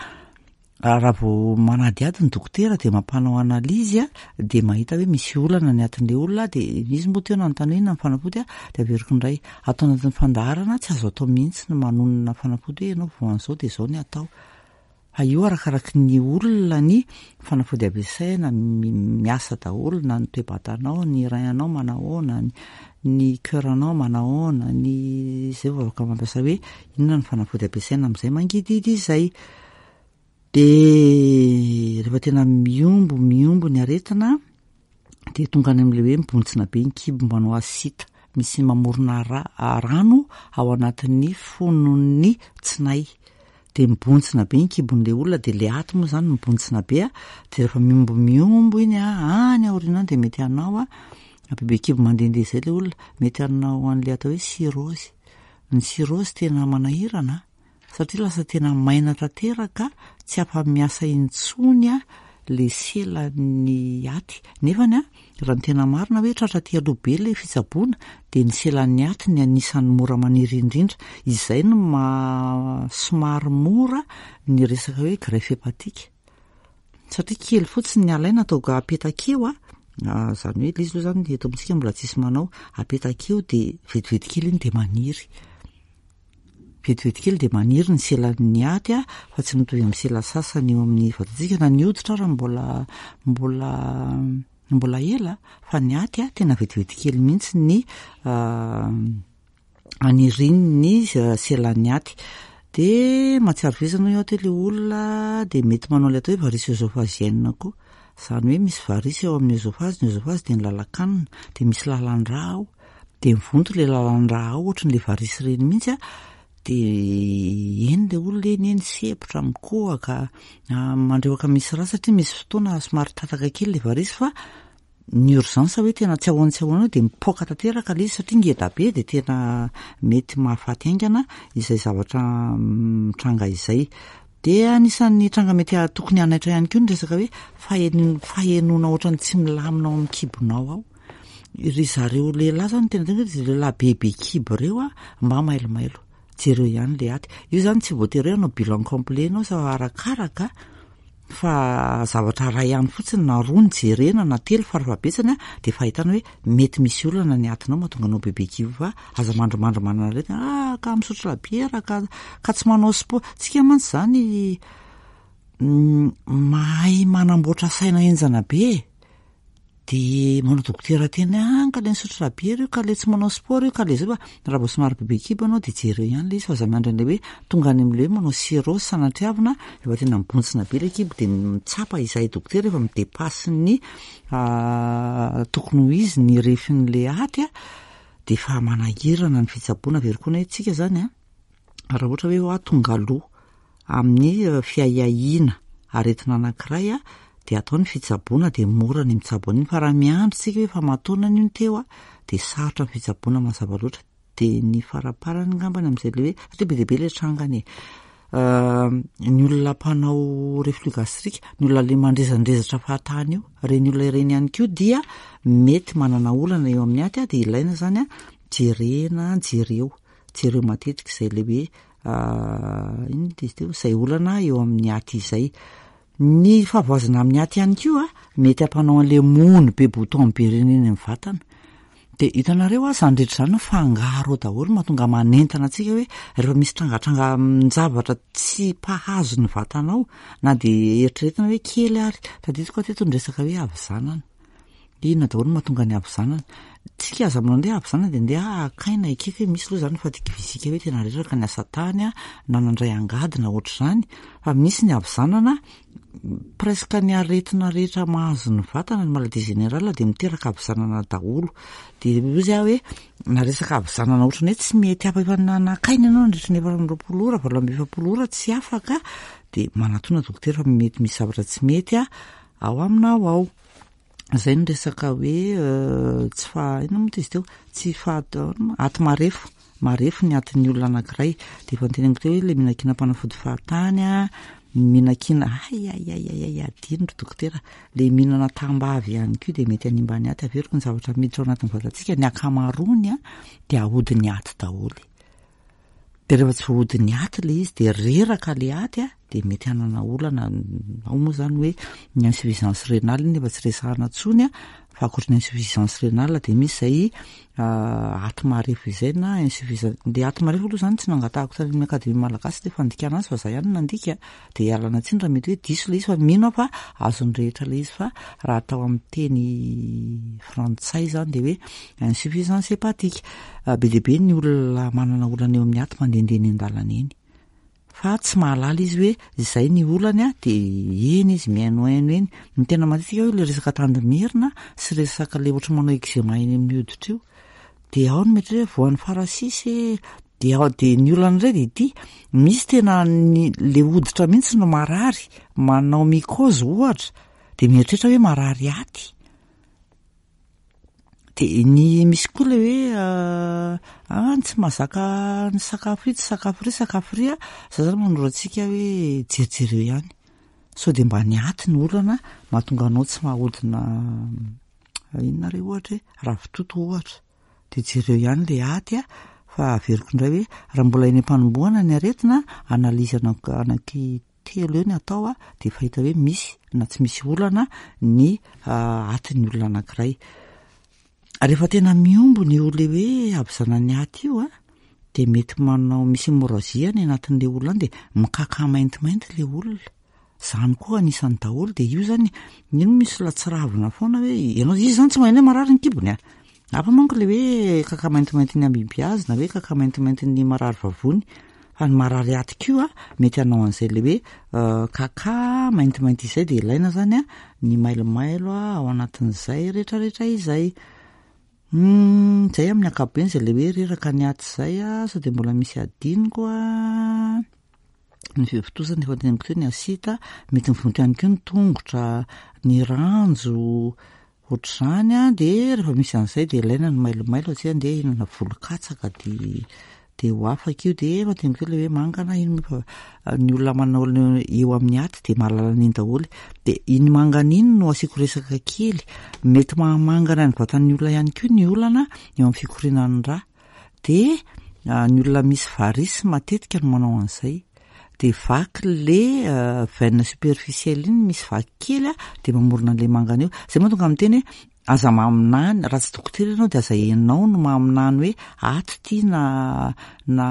raha vao manadihady ny dokotera de mampanao analyse a, de mahita hoe misy olana ny atin'le olona. De izy moa teo nanontany hoe inona ny fanafody a, de averiko indray atao anatin'ny fandaharana, tsy azo atao mihitsy ny manonona fanafody hoe ianao voan'izao de zao ny atao, fa io arakaraky ny olona ny fanafody ampiasaina, miasa daholo na ny toe-batanao, ny rein-anao manahoana, ny cœur-anao manahoana, ny zay vao afaka mampiasa hoe inona ny fanafody ampiasaina amin'izay mangidihidy izay. De rehefa tena miombo miombo ny aretina, de tonga any amin'le hoe mibontsina be ny kibo, manao ascite, misy mamorona ra rano ao anatin'ny fonon'ny tsinay, de mibontsina be ny kibon'le olona, de le aty moa zany mibontsina be a. De rehefa miombo miombo iny a any aoriana any, de mety hanao a Bebe kibo mandehandeha izay ilay olona, mety hanao an'ilay atao hoe cirrhose. Ny cirrhose tena manahirana satria lasa tena maina tanteraka, tsy afa-miasa intsony ilay selan'ny aty. Nefany a, raha ny tena marina hoe tratra aty aloha be ilay fitsaboana dia ny selan'ny aty ny anisan'ny mora maniry indrindra. Izay no maha somary mora ny resaka hoe greffe hépatique. Satria kely fotsiny ny alaina atao apetaka eo a, izany hoe ilay izy aloha izany eto amintsika mbola tsisy manao, apetaka eo dia vetivety kely iny dia maniry. Vetivety kely dia maniry ny selan'ny aty a, fa tsy mitovy amin'ny sela sasany eo amin'ny vatantsika na ny hoditra ary mbola mbola mbola ela fa ny aty a tena vetivety kely mihitsy ny anirin'ny selan'ny aty. Dia mahatsiaro vizana eo aty ilay olona dia mety manao ilay atao hoe varice œsophagienne koa. Izany hoe misy varice eo amin'ny œsophage, ny œsophage dia ny lalan-kanina, dia misy lalan-drà ao, dia mivonto ilay lalan-drà ao ohatran'ilay varice ireny mihitsy a, dia eny ilay olona eny eny sepotra, mikohaka, mandrewaka misy rà satria misy fotoana somary tataka kely ilay varice fa ny urgence hoe tena tsy ahoana tsy ahoana dia mipoaka tanteraka ilay izy satria ngeda be dia tena mety mahafaty haingana izay zavatra mitranga izay. Dia anisan'ny tranga mety tokony hanaitra ihany koa ny resaka hoe fahen- fahenoana ohatran'ny tsy milamina ao amin'ny kibonao ao. Ry zareo lehilahy zany tena tena hoe lehilahy bebe kibo ireo a, mba mailomailo. Jereo ihany ilay aty. Io zany tsy voatery hoe hanao bilan complet ianao fa arakaraka fa zavatra iray ihany fotsiny na roa no jerena na telo farafahabetsany a, dia efa ahitana hoe mety misy olana ny atinao mahatonga anao bebe kibo fa aza mandrimandry manana aretina, ah ka misotro labiera ka ka tsy manao sport. Tsika mantsy zany mahay manamboatra saina henjana be e. Dia manao dokotera tena ah ka ilay nisotro labiera io, ka ilay tsy manao sport io, ka ilay zao fa raha vao somary bebe kibo ianao dia jereo ihany ilay izy fa aza miandry an'ilay hoe tonga any amin'ilay hoe manao cirrhose sanatriavina efa tena mibontsina be ilay kibo dia mitsapa izahay dokotera efa mi-dépasse ny tokony ho izy ny refin'ilay aty a, dia efa manahirana ny fitsaboana. Averiko hoe tsika zany a, raha ohatra hoe hoa tonga aloha amin'ny fiahiahiana aretina anankiray a, dia atao ny fitsaboana dia mora ny mitsabo an'iny fa raha miandry tsika hoe efa aman-taonany io no teo a, dia sarotra ny fitsaboana mazava loatra. Dia ny faraparany angambany amin'izay le hoe satria be dia be ilay trangany e. Ny olona mpanao reflux gastrique, ny olona le mandrezandrezatra fahatany io, ireny olona ireny ihany koa dia mety manana olana eo amin'ny aty a, dia ilaina zany a jerena, jereo, jereo matetika izay le hoe inona izy teo, izay olana eo amin'ny aty izay. Ny fahavoazana amin'ny aty ihany koa a, mety hampanao an'ilay mony be bouton be ireny eny amin'ny vatana. Dia hitanareo a, izany rehetra izany mifangaro ao daholo mahatonga manentana antsika hoe rehefa misy trangatranga zavatra tsy mpahazo ny vatanao na dia eritreretina hoe kely ary. Tadidiko aho teto ny resaka hoe havizanana. Inona daholo no mahatonga ny havizanana? Tsika aza manao andeha havizanana dia andeha hakaina ekeko hoe misy aloha izany fatigue physique hoe tena reraka ny asa tany a, na nandray angady na ohatr'izany, fa misy ny havizanana presque ny aretina rehetra mahazo ny vatana, ny maladie générale dia miteraka havizanana daholo. Dia hoy aho hoe na resaka havizanana ohatran'ny hoe tsy mety afaka efa nakaina ianao nandritra ny efatra amby roapolo ora, valo amby efapolo ora tsy afaka, dia manatona dokotera fa mety misy zavatra tsy mety a ao aminao ao. Izay ny resaka hoe tsy fa inona moa izy teo, tsy fa aty marefo, marefo ny atin'ny olona anankiray. Dia efa noteneniko teo hoe ilay mihinan-kinam-panafody fahatany a, mihinan-kina ay ay ay ay ay adino ry dokotera, ilay mihinana tambavy ihany koa dia mety hanimba ny aty. Averiko ny zavatra miditra ao anatin'ny vatantsika, ny ankamaroany a dia ahodin'ny aty daholo. Dia rehefa tsy voahodin'ny aty ilay izy dia reraka ilay aty a, dia mety hanana olana. Ao moa zany hoe ny insuffisance rénale iny efa tsy resahana intsony a, fa ankoatra ny insuffisance rénale dia misy izay aty marefo izay na insuffisance. Ilay aty marefo aloha zany tsy nangatahako tany amin'ny akademia malagasy ilay fandikana azy fa izaho ihany no nandika, dia ialana tsiny raha mety hoe diso ilay izy fa mino aho fa azon'ny rehetra ilay izy fa raha atao amin'ny teny frantsay zany dia hoe insuffisance hépatique. Be dia be ny olona manana olana eo amin'ny aty mandehandeha eny an-dalana eny fa tsy mahalala izy hoe izay ny olany a, dia eny izy mihainohaino eny. Ny tena matetika hoe ilay resaka tandimerina sy resaka ilay ohatry manao eczéma eny amin'ny hoditra io, dia ao no mety hoe voan'ny farasisy e, dia ao dia ny olana indray dia ity, misy tena ny le hoditra mihitsy no marary, manao mycose ohatra, dia mieritreritra hoe marary aty. De ny misy koa le hoe ah tsy mahazaka ny sakafo itsy, sakafo ry, sakafo ry a, za zany manoro antsika hoe jerijereo ihany sao de mba ny aty ny olana mahatonga anao tsy mahaodina inona re ohatra hoe ravitoto ohatra, de jereo ihany le aty a. Fa averiko indray hoe raha mbola eny am-panombohana ny aretina, analyse anaky telo eo ny atao a, de efa hita hoe misy na tsy misy olana ny atin'ny olona anankiray. Rehefa tena miombona io le hoe havizanany aty io a, de mety manao misy hémorragie any anatin'le olona any, de mikaka maintimainty le olona. Zany koa anisan'ny daholo. De io zany ino misy latsiravina foana hoe ianao izy zany tsy maheno hoe marary ny kibony a. Hafa manko le hoe kaka maintimainty ny amibiazy na hoe kaka maintimainty ny marary vavony, fa ny marary aty koa mety hanao an'izay le hoe kaka maintimainty izay. De ilaina zany a ny mailomailo a ao anatin'izay rehetrarehetra izay. Zay amin'ny ankapobeny zay le hoe reraka ny aty zay a. Sao de mbola misy adinoko a? Ny fivontosana efa teneniko teo, ny asita mety mivonto ihany koa, ny tongotra, ny ranjo ohatr'izany a. De rehefa misy an'izay de ilaina ny mailomailo, atsika andeha hihinana volon-katsaka de de ho afaka io. De efa teneniko teo le hoe mangana iny, fa ny olona manao eo amin'ny aty de mahalala an'iny daholo. De iny mangana iny no asiako resaka kely, mety mahamangana ny vatan'ny olona ihany koa ny olana eo amin'ny fikorianan'ny rà. De ny olona misy varice matetika no manao an'izay, de vaky le veine superficielle iny, misy vaky kely a, de mamorona an'le mangana io. Zay mahatonga miteny hoe aza maminany raha tsy dokotera ianao, de aza ianao no maminany hoe aty ty na na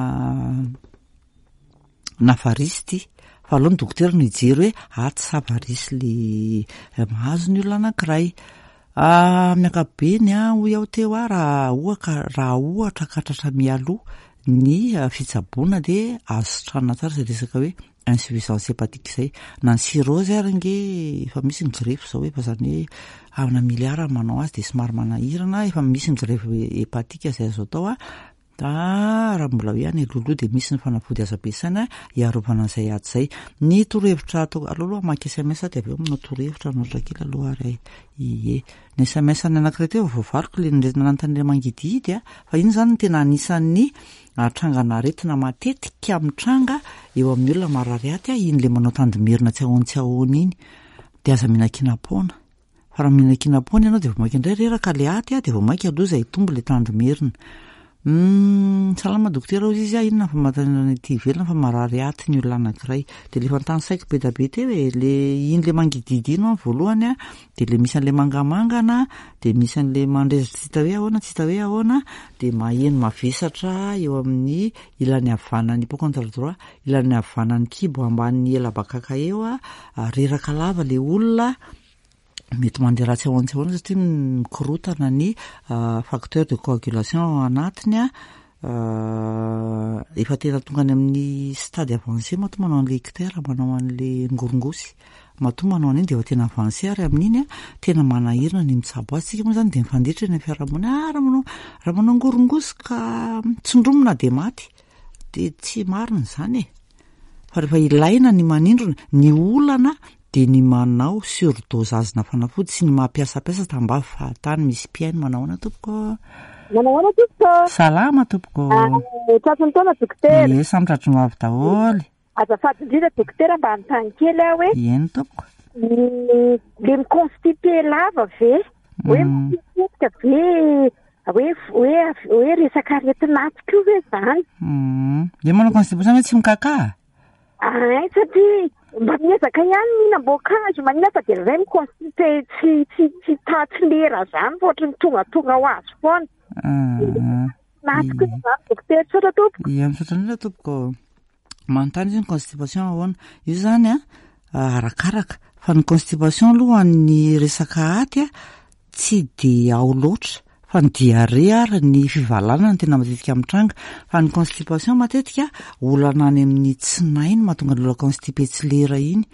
na varice ty, fa aloha ny dokotera no hijery hoe aty sa varice le mahazo ny olona anankiray. Amin'ny ankapobeny a, hoy aho teo a, raha ohatra raha ohatra ka tratra mialoha ny fitsaboana de azo sitranina tsara zay resaka hoe insuffisance hépatique zay, na ny cirrhose ary nge efa misy ny greffe zao, efa zany hoe amina milliard manao azy, de somary manahirana, efa misy ny greffe hépatique zay azo atao a. Da raha mbola hoe any alohaloha de misy ny fanafody azo ampiasaina hiarovana an'izay aty zay. Ny torohevitra atao aloha aloha hamaky S M S, de avy eo manao torohevitra anoatra kely aloha ary. Ie, ny S M S ny anankiray teo voavaliko le nanontany le mangidihidy a, fa iny zany no tena anisan'ny trangana aretina matetika mitranga eo amin'ny olona marary aty a, iny le manao tandimerina tsy ahoany tsy ahoany iny. De aza mihinan-kinam-poana, fa raha mihinan-kinam-poana ianao de vao mainka indray reraka le aty a, de vao mainka aloha izay hitombo le tandimerina. Salama dokotera, hozy izy a, inona ny famantarana ety ivelany fa marary aty ny olona anankiray? De le efa notanisaiko be da be teo e, le iny le mangidihidy iny voalohany a, de le misy an'le mangamangana, de misy an'le mandrezitra tsy hita hoe ahoana, tsy hita hoe ahoana, de maheno mavesatra eo amin'ny ilany havanan'ny hypochondre droit, ilany havanan'ny kibo ambanin'ny elabakaka eo a, reraka lava le olona, mety mandeha ratsy ahoana tsy ahoana satria mikorotana ny facteur de coagulation ao anatiny a. Efa tena tonga any amin'ny stade avancé matoa manao an'le ictère, manao an'le ngorongosy, matoa manao an'iny de efa tena avancé, ary amin'iny a tena manahirana ny mitsabo azy. Tsika moa zany de mifanditra eny amin'ny fiarahamonina, ah raha manao raha manao ngorongosy ka tsindromina de maty, de tsy marina zany e, fa rehefa ilaina ny manindrona ny olana de ny manao surdosage na fanafody sy ny mampiasampiasa tambavy fahatany. Misy mpihaino. Manao ahoana tompoko? Manao ahoana tompoko? Salama tompoko. Tratry ny taona dokotera. Ie, samy tratry ny ho avy daholo. Azafady indrindra dokotera, mba anontany kely aho hoe Eny tompoko. ny le miconstipé lava ve hoe matetika ve hoe hoe hoe resaka aretin'aty koa ve zany? Le manao constipation hoe tsy mikaka? Ay, satria mba miezaka ihany mihinam-boankazo manina, fa de ray miconstipé tsy tsy tsy ta tsy lera zany, fa ohatry ny tongatonga ho azy foana naty koa zany dokotera. Tsotra tompoko. Ie, misaotra indrindra tompoko. Manontany izy ny constipation ahoana io zany a, arakaraka, fa ny constipation aloha ny resaka aty a tsy de ao loatra, fa ny diarrhée ary ny fivalanana no tena matetika mitranga. Fa ny constipation matetika olana any amin'ny tsinay no mahatonga ny olona constipé tsy lera iny,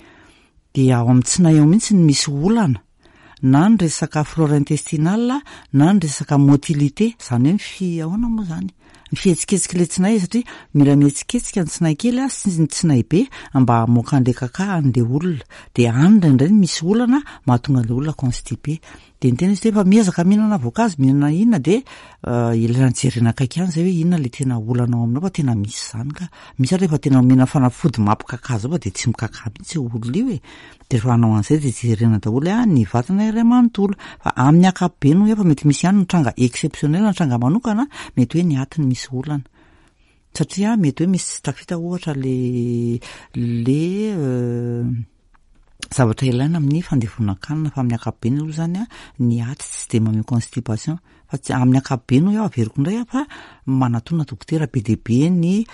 de ao amin'ny tsinay ao mihitsy no misy olana, na ny resaka flore intestinale na ny resaka motilité, zany hoe ny fi ahoana moa zany, ny fihetsiketsika le tsinay, satria mila mihetsiketsika ny tsinay kely a sy ny tsinay be mba hamoaka an'le kaka an'le olona. De any indraindray no misy olana mahatonga an'le olona constipé. De niteny izy hoe efa miezaka mihinana voankazo, mihinana inona, de ilaina jerena akaiky ihany zay hoe inona le tena olana ao aminao, fa tena misy zany ka. Misy ary rehefa tena omena fanafody mampikaka zao fa de tsy mikaka mihitsy io olona io e. De rehefa hanao an'izay de jerena daholo a ny vatana iray manontolo. Fa amin'ny ankapobeny hoy aho, fa mety misy ihany ny tranga exceptionnel, ny tranga manokana, mety hoe ny atiny misy olana. Satria mety hoe misy tsy tafita ohatra le le zavatra ilaina amin'ny fandevonan-kanina, fa amin'ny ankapobeny aloha zany a ny aty tsy de maneho constipation, fa tsy amin'ny ankapobeny hoy aho, averiko indray aho, fa manatona dokotera be dia be, ny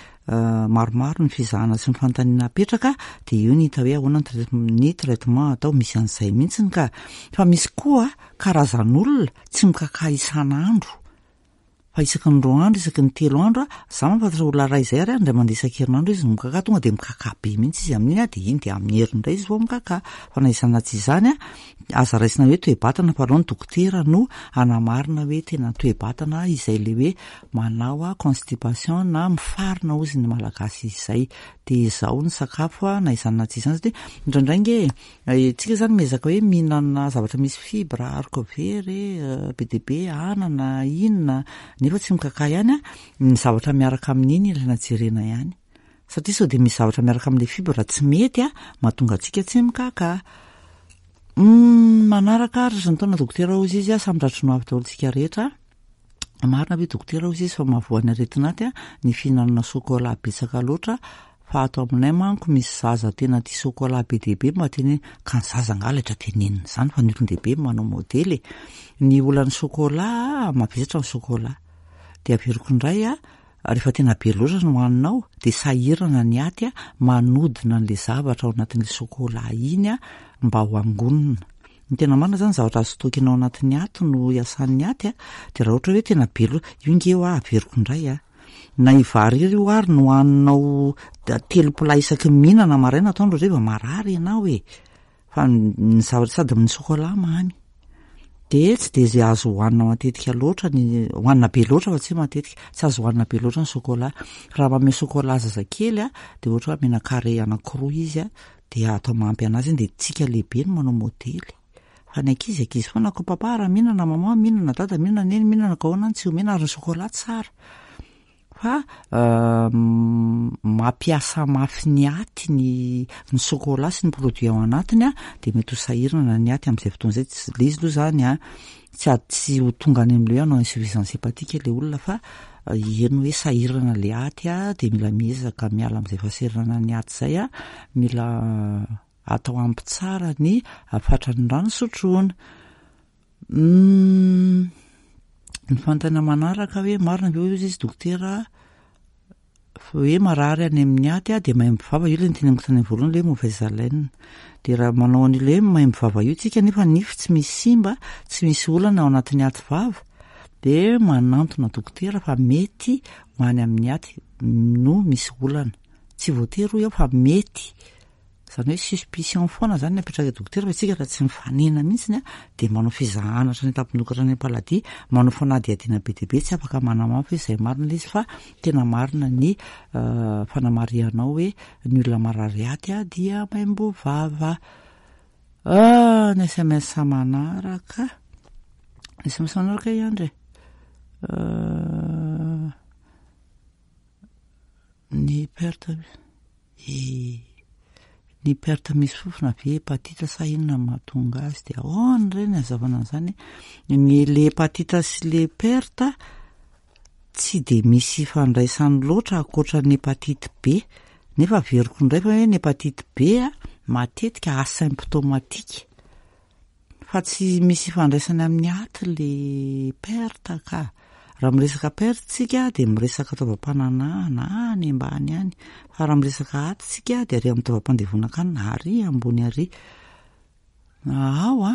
maromaro ny fizahana sy ny fanontaniana apetraka, de eo ny hita hoe ahoana ny trai- ny traitement atao. Misy an'izay mihitsiny ka. Fa misy koa karazan'olona tsy mikaka isan'andro fa isaky ny roa andro, isaky ny telo andro a. Za mahafantatra olona ray izay ary a indray mandeha isan-kerinandro izy no mikaka, tonga de mikaka be mihitsy izy amin'iny a, de iny de amin'ny heriny indray izy vao mikaka. Fa na izany na tsy izany a, aza raisina hoe toe-batana, fa aloha ny dokotera no anamarina hoe tena toe-batana izay le hoe manao a constipation na mifarina ozy ny malagasy izay. De izao ny sakafo a, na izany na tsy izany, satria indraindray nge tsika zany miezaka hoe mihinana zavatra misy fibre, haricots verts be dia be, anana, inona, nefa tsy mikaka ihany a. Ny zavatra miaraka amin'iny ilaina jerena ihany, satria sao de misy zavatra miaraka amin'le fibre tsy mety a mahatonga antsika tsy mikaka. Manaraka ary ny taona dokotera ozy izy a, samy tratry no avy daholo tsika rehetra. Marina ve dokotera ozy izy fa mahavoan'ny aretin'aty a ny fihinanana sokola betsaka loatra? Fa ato aminay manko misy zaza tena tia sokola be dia be, mba teneny ka ny zaza angaha laitra tenenina izany, fa ny olon-dehibe manao modely e. Ny olan'ny sokola, mavesatra ny sokola, de averiko indray a, rehefa tena be loatra no hohaninao de sahirana ny aty a manodina an'le zavatra ao anatin'le sokola iny a mba ho angonina. Ny tena marina zany, zavatra azo stockena ao anatin'ny aty no iasan'ny aty a, de raha ohatra hoe tena be loatra io nge eo a, averiko indray a, na ivary io ary no hohaninao telo plat isaky ny mihinana maraina, atoandro, hariva, marary ianao e. Fa ny zavatra sady amin'ny sokola mamy de tsy de zay azo hohanina matetika loatra, ny hohanina be loatra, fa tsy hoe matetika, tsy azo hohanina be loatra ny sokola. Raha manome sokola zazakely a, de ohatra hoe omena carré anankiroa izy a, de atao mahampy anazy iny, de tsika lehibe no manao modely, fa ny ankizy ankizy foana ko papa raha mihinana, maman mihinana, dada mihinana, neny mihinana, ka ahoana ny tsy omena? Ary ny sokola tsara fa mampiasa mafy ny aty ny ny sokola sy ny produit ao anatiny a, de mety ho sahirana ny aty amin'izay fotoana izay. Tsy le izy aloha zany a tsy ady tsy ho tonga any amin'le hoe hanao insuffisance hépatique le olona, fa eny hoe sahirana le aty a, de mila miezaka miala amin'izay fahasahiranana ny aty zay a, mila atao ampy tsara ny fatran'ny rano sotroina. Ny fanontaniana manaraka hoe marina ve ozy izy dokotera hoe marary any amin'ny aty a de maimbo vava? Io le niteneniko tany amin'ny voalohany, le hoe mauvaise haleine. De raha manao an'ile hoe maimbo vava io tsika nefa nify tsy misy simba, tsy misy olana ao anatin'ny aty vava, de manantona dokotera fa mety ho any amin'ny aty no misy olana. Tsy voatery hoy aho, fa mety zany hoe suspicion foana zany ny apetraka dokotera. Fa tsika raha tsy mifanena mihitsiny a, de manao fizahana hatrany an-tampon-doha hatrany am-paladia, manao fanadihadiana be dia be, tsy afaka manamafy hoe izay marina ilay izy. Fa tena marina ny fanamarihanao hoe ny olona marary aty a dia maimbo vava. Ny S M S manaraka, ny S M S manaraka ihany re, ny perte e, ny perte misy fofona ve hépatite sa inona mahatonga azy? De ahoana reny hazavana an'izany? Ny le hépatite sy le perte tsy de misy ifandraisany loatra ankoatra ny hépatite B, nefa averiko indray fa hoe ny hépatite B a matetika asymptomatique, fa tsy misy ifandraisany amin'ny aty le perte ka. Raha miresaka perte tsika de miresaka taovam-pananahana any ambany any, fa raha miresaka aty tsika de ary amin'ny taovam-pandevonan-kanina ary ambony ary ao a.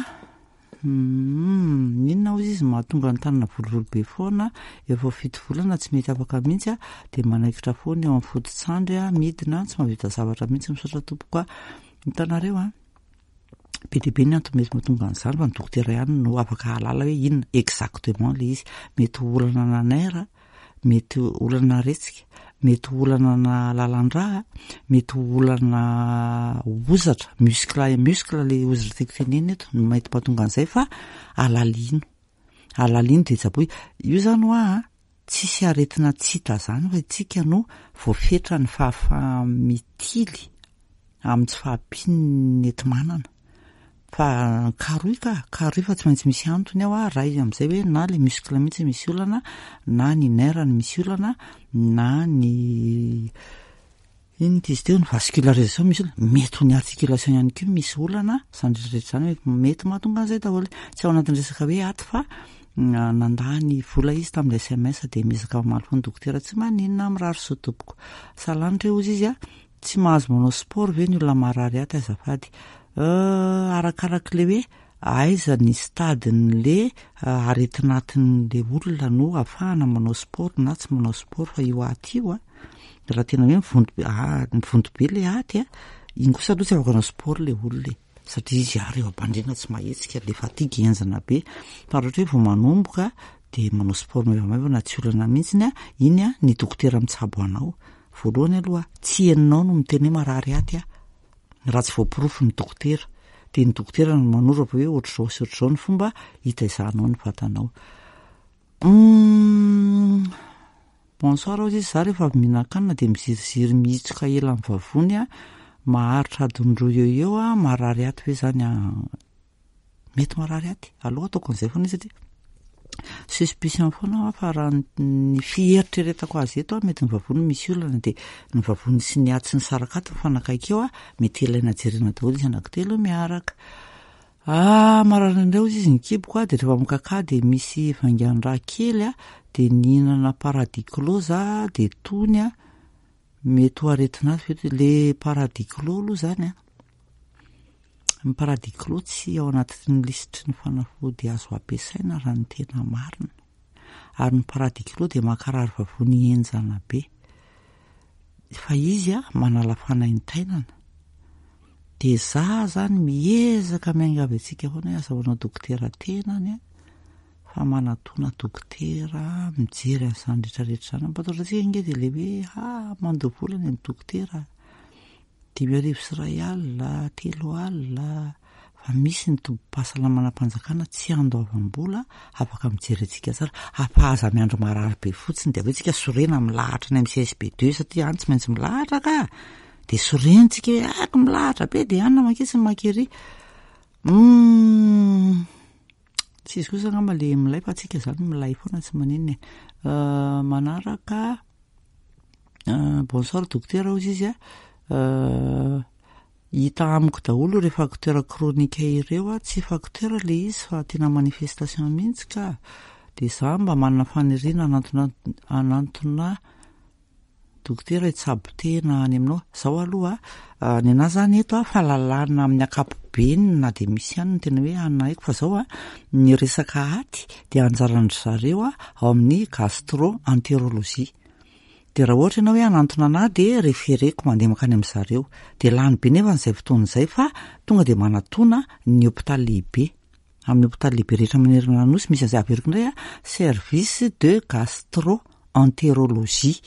Inona ozy izy mahatonga ny tanana volovolo be foana efa fito volana, tsy mety afaka mihitsy a, de manaikitra foana eo amin'ny foto-tsandry a, midina, tsy mahavita zavatra mihitsy? Misaotra tompoko a. Hitanareo a, be dia be ny antony mety mahatonga an'izany, fa ny dokotera ihany no afaka hahalala hoe inona exactement le izy. Mety ho olana na nerf, mety olana retsika. Mety ho olana na lalan-drà, mety ho olana hozatra, muscle, muscle le hozatra tiako tenenina eto no mety mahatonga an'izay, fa alalino, alalino de tsaboy io zany hoa a. Tsisy aretina tsy hita zany fa itsika no voafetra ny fahafaha-mitily amin'ny tsy fahampian'ny enti-manana, fa karoy ka karoy fa tsy maintsy misy antony ao a. Raha izy amin'izay hoe na le muscle mihitsy misy olana, na ny nerf ny misy olana, na ny ino ty izy teo, ny vascularisation misy olana, mety ho ny articulation ihany koa misy olana. Zany rehetrarehetra zany mety mahatonga an'izay daholo. Tsy ao anatin'ny resaka hoe aty fa nandany vola izy tamin'ny S M S, de miezaka mamaly foana dokotera. Tsy maninona, mirary soa tompoko. Salanitra eo izy izy a, tsy mahazo manao sport ve ny olona marary aty azafady? Arakarak'le hoe aiza ny stade-n'le aretin'atin'le olona no ahafahana manao sport na tsy manao sport. Fa io aty io a, raha tena hoe mivonto be, mivonto be le aty a, iny kosa aloha tsy afaka hanao sport le olona e, satria izy ary eo am-pandriana tsy mahetsika, le fatigue enjana be. Fa raha ohatra hoe vao manomboka de manao sport maivamaivana, tsy olana mihitsiny a iny a. Ny dokotera mitsabo anao voalohany aloha, tsy heninao no miteny hoe marary aty a raha tsy voaporofo ny dokotera, de ny dokotera no manoro avy hoe ohatr'izao sy ohatr'izao ny fomba hitaizahanao ny vatanao. Bonsoir ozy izy, za rehefa avy mihinan-kanina de miziriziry mihitsoka ela amin'ny vavony a, maharitra adiny roa eo eo a, marary aty ve zany a? Mety marary aty aloha ataoko an'izay foana izy satria suspicion foana, fa raha ny fieritreretako azy eto a, mety ny vavony misy olana, de ny vavony sy ny aty sy ny sarakaty mifanakaiky eo a, mety ilaina jerena daholo izy anankitelo miaraka. Ah, marary indray ozy izy ny kiboko a, de rehefa mikaka de misy vaingan-draha kely a, de nihinana Paradiclo za de tony a, mety ho aretina azy ve le Paradiclo aloha zany a? Ny Paradiclo tsy ao anatin'ny lisitry ny fanafody azo ampiasaina raha ny tena marina, ary ny Paradiclo de makarary vavony enjana be, fa izy a manala fanaintainana. De za zany miezaka miangavy antsika foana hoe aza manao dokotera tenany a, fa manatona dokotera mijery an'izany rehetrarehetra zany. Mampatahotra antsika nge de le hoe ah, mandoa vola ny amin'ny dokotera, dimy arivo sy ray alina, telo alina, fa misy ny tobim-pahasalamana-mpanjakana tsy andoavam-bola afaka mijery antsika tsara. Afa aza miandro marary be fotsiny de avy eo tsika sorena milahatra any amin'ny C S B deux, satria any tsy maintsy milahatra ka, de sorentsika hoe ako milahatra be de anina maketsy ny makery. mm, tsy izy kosa angamba le milay, fa atsika zany milay foana, tsy maninona e. Manaraka, bonsoir docteur ozy izy a, hita amiko daholo re facteur chronique ireo a. Tsy facteur le izy fa tena manifestation mihitsy ka. De za mba manana faniriana anantona anantona dokotera hitsabo tena any aminao zao aloha. Ny anahy zany eto a, fahalalana amin'ny ankapobeny na de misy ihany ny tena hoe anina haiko, fa zao a, ny resaka aty de anjaran-dry zareo a ao amin'ny gastro-entérologie. De raha ohatra ianao hoe anantona anahy de référeko mandeha mankany amy zareo, de lany be nefa n'izay fotoana izay, fa tonga de manatona ny hôpitaly lehibe, amin'ny hôpitaly lehibe rehetra manerana nosy misy an'izay. Averiko indray a, service de gastro entérologie,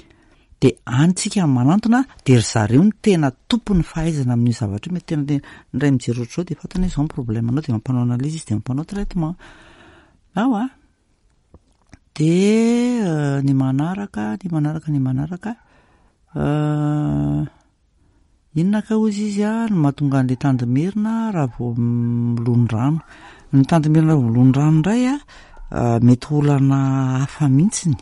de any tsika manantona, de ry zareo no tena tompony fahaizana amin'io zavatra io. Mety tena tena ndray mijery ohatr'izao de fantany hoe zao ny problème anao, de mampanao analyse izy, de mampanao traitement ao a. De ny manaraka, ny manaraka, ny manaraka, inona ka ozy izy a no mahatonga an'le tandimerina raha vao milondrano? Ny tandimerina raha vao milondrano indray a, mety olana hafa mihitsiny,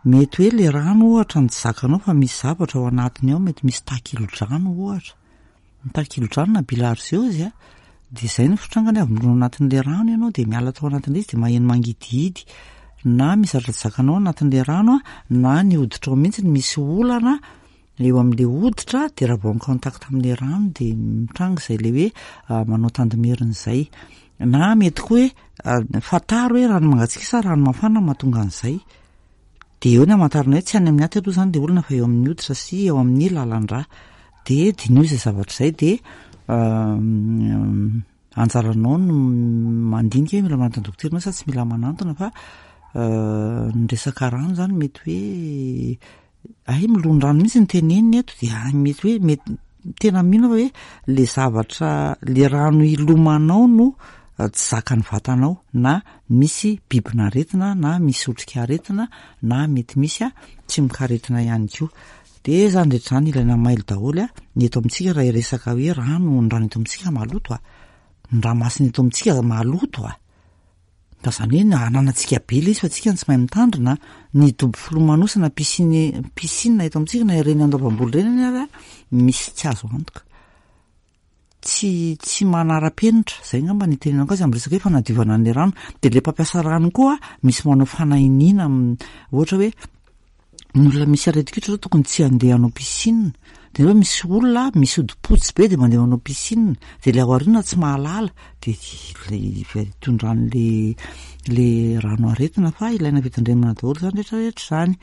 mety hoe le rano ohatra ny tsy zakanao fa misy zavatra ao anatiny ao, mety misy takilodrano ohatra, ny takilodrano na bilharziose a. De zay ny fitrangany, avy milona anatin'le rano ianao de miala tao anatin'le izy de maheno mangidihidy, na misy zavatra tsy zakanao anatin'le rano a, na ny hoditra ao mihitsy ny misy olana eo amin'le hoditra, de raha vao en contact amin'le rano de mitranga izay le hoe manao tandimerina izay. Na mety koa hoe fantaro hoe rano mangatsiaka sa rano mafana mahatonga an'izay, de eo ny amantarana hoe tsy any amin'ny aty aloha zany le olana fa eo amin'ny hoditra sy eo amin'ny lalan-drà. De dinio izay zavatra izay, de anjaranao no mandinika hoe mila manantona dokotera ianao sa tsy mila manantona. Fa ny resaka rano zany mety hoe Ay, milondrano mihitsy ny teneniny eto, dia mety hoe mety tena mino hoe le zavatra le rano ilomanao no tsy zakan'ny vatanao, na misy bibin'aretina, na misy otrikaretina, na mety misy a tsimokaretina ihany koa. De zany rehetra zany ilaina mailo daholo a. Ny eto amintsika raha iresaka hoe rano, ny rano eto amintsika maloto a, ny ranomasina eto amintsika maloto a. Fa zany hoe ananantsika be le izy fa tsika tsy mahay mitandrina. Ny dobo filomanosana, piscine piscine eto amintsika na ireny Andoavamboly ireny ary misy tsy azo antoka, tsy tsy manara-penitra zay ngamba ny itenenako azy amin'ny resaka hoe fanadiovana an'le rano. De le mpampiasa rano koa misy manao fanahiniana, ohatra hoe ny olona misy aretin-koditra zao tokony tsy handeha hanao piscine, de nefa misy olona misy hodi-potsy be de mandeha manao piscine, de le ao aoriana tsy mahalala, de le itondran'le le rano aretina. Fa ilaina fitandremana daholo zany rehetrarehetra zany.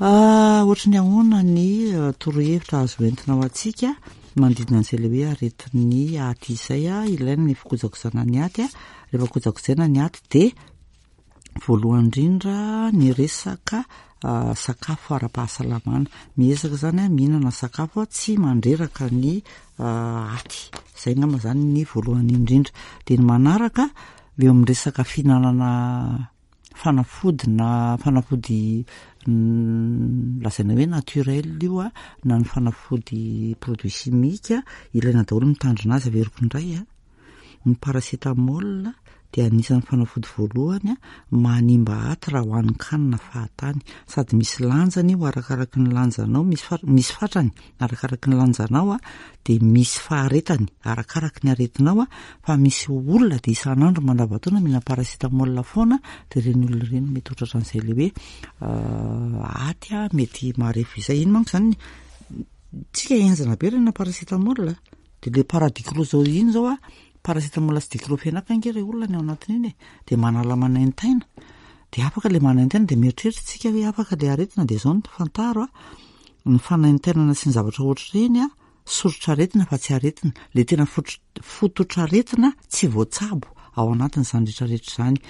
Ohatry ny ahoana ny torohevitra azo entina ho antsika manodidina an'izay le hoe aretin'ny aty izay a? Ilaina ny fikojakojana ny aty a. Rehefa kojakojaina ny aty de voalohany indrindra ny resaka sakafo ara-pahasalamana. Miezaka zany a mihinana sakafo tsy mandreraka ny aty, zay ngamba zany ny voalohany indrindra. De ny manaraka eo amin'ny resaka fihinanana fanafody na fanafody lazaina hoe naturel io a, na ny fanafody produit chimique, ilaina daholo mitandrina azy. Averiko indray a, ny paracétamol dia anisan'ny fanafody voalohany a manimba aty raha hohanin-kanina fahatany, sady misy lanjany io arakaraky ny lanjanao, misy fa- misy fatrany arakaraky ny lanjanao a, de misy faharetany arakaraky ny aretinao a. Fa misy olona de isan'andro mandavantaona mihina paracétamol foana, de ireny olona ireny mety ho tratran'izay le hoe aty a mety marefo izay. Iny manko zany tsika enjana be rena paracétamol, de le paradiclo zao iny zao a, paracétamol sy diclofenac ange re olona ny ao anatin'iny e, de manala manaintaina, de afaka le manaintaina, de mieritreritra tsika hoe afaka le aretina. De zao no fantaro a, ny fanaintainana sy ny zavatra ohatr'ireny a soritra aretina fa tsy aretina. Le tena fotr- fototr'aretina tsy voatsabo ao anatin'izany rehetrarehetra zany.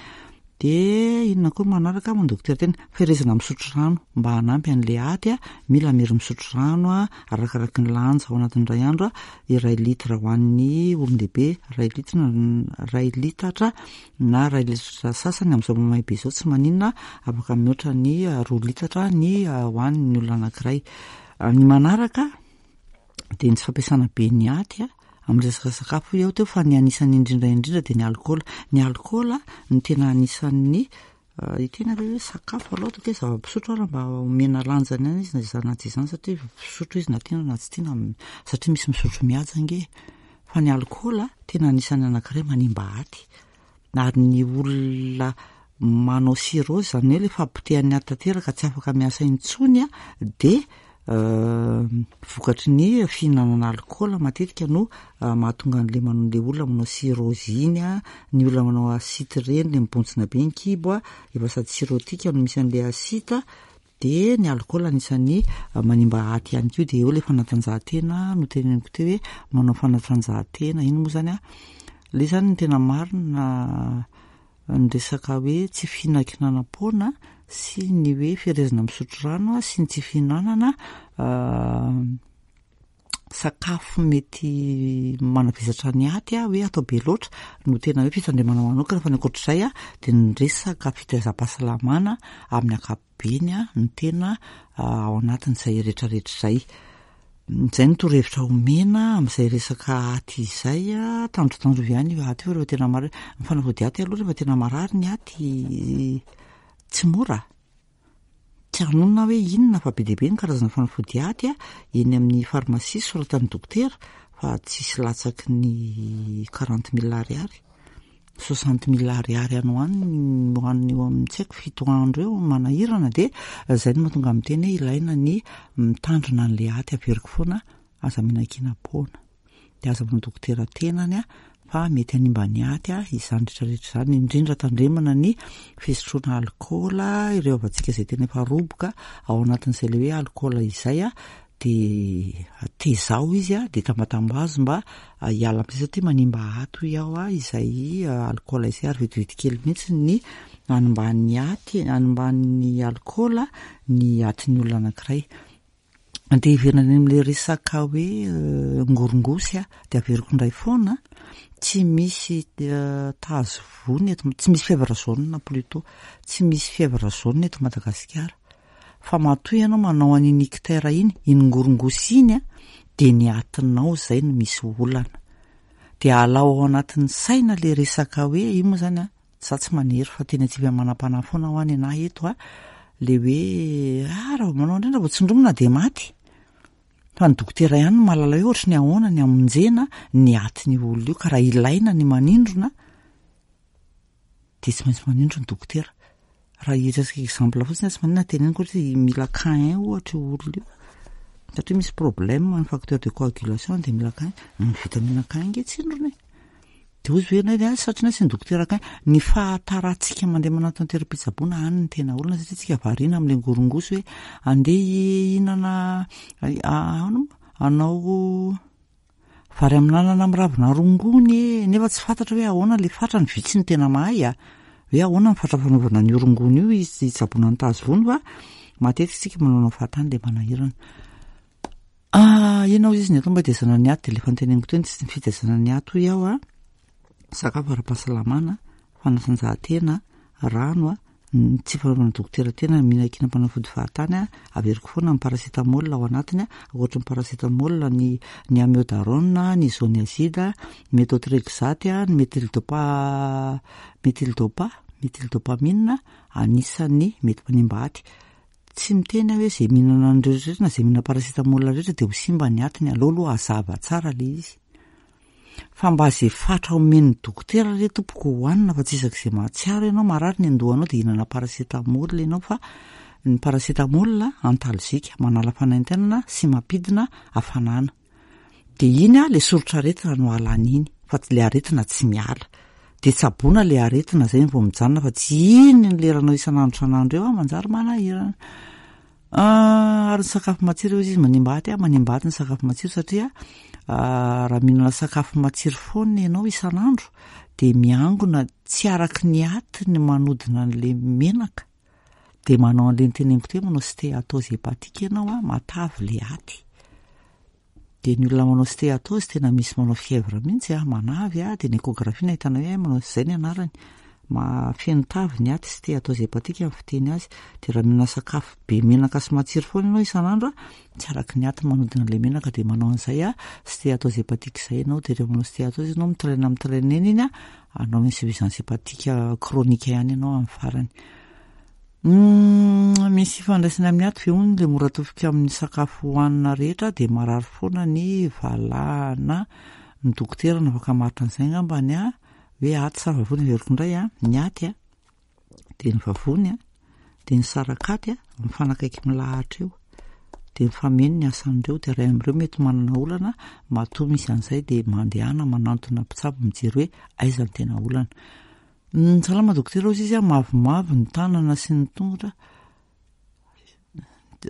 De inona koa manaraka moa dokotera tena ferezana misotro rano mba hanampy an'le aty a. Mila mery misotro rano a arakaraky ny lanja ao anatin'ny ray andro a, iray litra ho an'ny olon-dehibe, ray litra ray litatra na ray litatra sasany. Amin'izao mamay be izao tsy maninona, afaka mihoatra ny roa litatra ny ho an'ny olona anankiray. Ny manaraka de ny tsy fampiasana be ny aty a amin'ny resaka sakafo eo teo, fa ny anisan'ny indrindra indrindra de ny alkaola. Ny alkaola no tena anisan'ny itena hoe sakafo aloha toka hoe zava-pisotro ara mba omena lanjany ihany izy na izany na tsy izany, satria fisotro izy na tiana na tsy tiana, satria misy misotro mihaja ange. Fa ny alkaola tena anisan'ny anankiray manimba aty, ary ny olona manao cirrhose, zany hoe le fahapotehan'ny aty tanteraka tsy afaka miasa intsony a, de vokatry ny fihinanana alkaola matetika no mahatonga an'le manao le olona manao cirrhose iny a. Ny olona manao ascite reny, le mibontsina be ny kibo a, efa sady cirrhotique no misy an'le ascite, de ny alkaola anisan'ny manimba aty ihany koa. De eo le fanatanjahantena no teneniko teo hoe manao fanatanjahantena iny moa zany a, le zany ny tena marina ny resaka hoe tsy fihinankinanam-poana sy ny hoe ferezana misotro rano sy ny tsy fihinanana sakafo mety manavesatra ny aty a, hoe atao be loatra no tena hoe fitandremana manokana. Fa ny ankoatr'izay a de ny resaka fitaizam-pahasalamana amin'ny ankapobeny a no tena ao anatin'izay rehetrarehetra izay. Zay no torohevitra omena amin'izay resaka aty izay a. Tandrotandrovy ihany io aty io rehefa tena marary. Ny fanafody aty aloha rehefa tena marary ny aty tsy mora, tsy hanonona hoe inona fa be dia be ny karazana fanafody aty a eny amin'ny farmasia soratan'ny dokotera, fa tsisy latsaky ny quarante mille ariary, soixante mille ariary any ho any ho an'ny eo amin'ny tsy haiko fito andro eo manahirana. De zay no mahatonga amin'ny teny hoe ilaina ny mitandrina an'le aty. Averiko foana, aza mihinan-kinam-poana, de aza manao dokotera tenany a, fa mety hanimba ny aty a izany rehetrarehetra izany. Indrindra tandremana ny fisotroana alkaola, ireo havantsika izay tena efa roboka ao anatin'izay le hoe alkaola izay a, De tezao izy a, de tambatambazo mba hiala amin'izay satria manimba aty hoy aho a izay alkaola izay, ary vetivety kely mihitsy ny animban'ny aty, animban'ny alkaola ny atin'ny olona anankiray. De hiverina any amin'le resaka hoe ngorongosy a, de averiko indray foana, tsy misy tazo vony eto, tsy misy fièvre jaune plutôt, tsy misy fièvre jaune eto Madagasikara. Fa matoa ianao manao an'iny ictère iny, iny ngorongosy iny a, de ny atinao zay no misy olana. De alao ao anatin'ny saina le resaka hoe io moa zany a, za tsy manery fa tena tsy manam-panahy foana ho any anahy eto a, le hoe ah raha vao manao indrindra vao tsindromina de maty. Fa ny dokotera ihany no mahalala hoe ohatry ny ahoana ny amonjena ny atin'io olona io, ka raha ilaina ny manindrona de tsy maintsy manindro ny dokotera. Raha hiresaka exemple fotsiny tsy maninona teneniko ohatra hoe mila K un ohatra io olona io, satria misy problème ny facteur de coagulation de mila K un, ny vitamine K un nge tsindrona e. De hozy hoe nay satria na sy ny dokotera K un, ny fahatarantsika mandeha manatona toeram-pitsaboana any ny tena olana, satria tsika variana amin'le ngorongosy hoe andeha hihinana ahoana moa hanao vary amin'anana amin'ny ravina rongony e, nefa tsy fantatra hoe ahoana le fatrany, vitsy ny tena mahay a, hoe ahoana ny fatra fanaovana ny rongony io izy hitsaboana ny tazo vony, fa matetika tsika manaonao fahatany le manahirana. Ah, inona hozy izy ny atao mba hitaizana ny aty, de le efa noteneniko teo ny fitaizana ny aty hoy aho a, sakafo ara-pahasalamana, fanatanjahantena, rano a, ny tsy fanaovana dokotera tena mihinan-kinam-panafody fahatany a, averiko foana ny paracétamol ao anatiny a, ankoatra ny paracétamol ny ny amiodarone, ny isoniazide, ny méthotrexate, ny méthyldopa, méthyldopa, méthyldopamine anisan'ny mety manimba aty. Tsy miteny aho hoe zay mihinana an'ireo rehetra na zay mihinana paracétamol rehetra de ho simba ny atiny, aleo aloha hazava tsara le izy. Fa mba zay fatra omen'ny dokotera re tompoko hohanina, fa tsy isak'izay mahatsiaro ianao marary ny andohanao de hihinana paracétamol ianao, fa ny paracétamol antalgique manala fanaintainana sy mampidina hafanana. De iny a le soritr'aretina no alana iny, fa le aretina tsy miala. De tsaboina le aretina zay vao mijanona, fa tsy iny ny leranao isan'andro isan'andro eo a manjary manahirana. Ary ny sakafo matsiro izy manimba aty a, manimba aty ny sakafo matsiro, satria raha mihinana sakafo matsiro foana ianao isan'andro de miangona tsy araky ny aty ny manodina an'le menaka, de manao an'le niteneniko teo, manao stéatose hépatique ianao a, matavy le aty. De ny olona manao stéatose tena misy manao fièvre mihitsy a, manavy a, de ny échographie no ahitana hoe manao zay ny anarany, feno tavy ny aty, stéatose hépatique amin'ny fiteny azy. De raha mihinana sakafo be menaka sy matsiro foana ianao isan'andro a, tsy araky ny aty manodina an'le menaka, de manao an'izay a stéatose hépatique zay ianao. De rehefa manao stéatose ianao mitraîne mitraîne eny iny a, hanao insuffisance hépatique chronique ihany ianao amin'ny farany. Misy ifandraisany amin'ny aty ve hono le mora tofika amin'ny sakafo hohanina rehetra de marary foana ny valahana? Ny dokotera no afaka mamaritra an'izay angambany a, hoe aty sa vavony. Averiko indray a, ny aty a, de ny vavony a, de ny sarakaty a, mifanakaiky milahatra eo, de mifameno ny asan'ireo, de ray amin'ireo mety manana olana. Matoa misy an'izay de mandehana manantona mpitsabo mijery hoe aiza ny tena olana. Salama dokotera, hozy izy a, mavomavo ny tanana sy ny tongotra.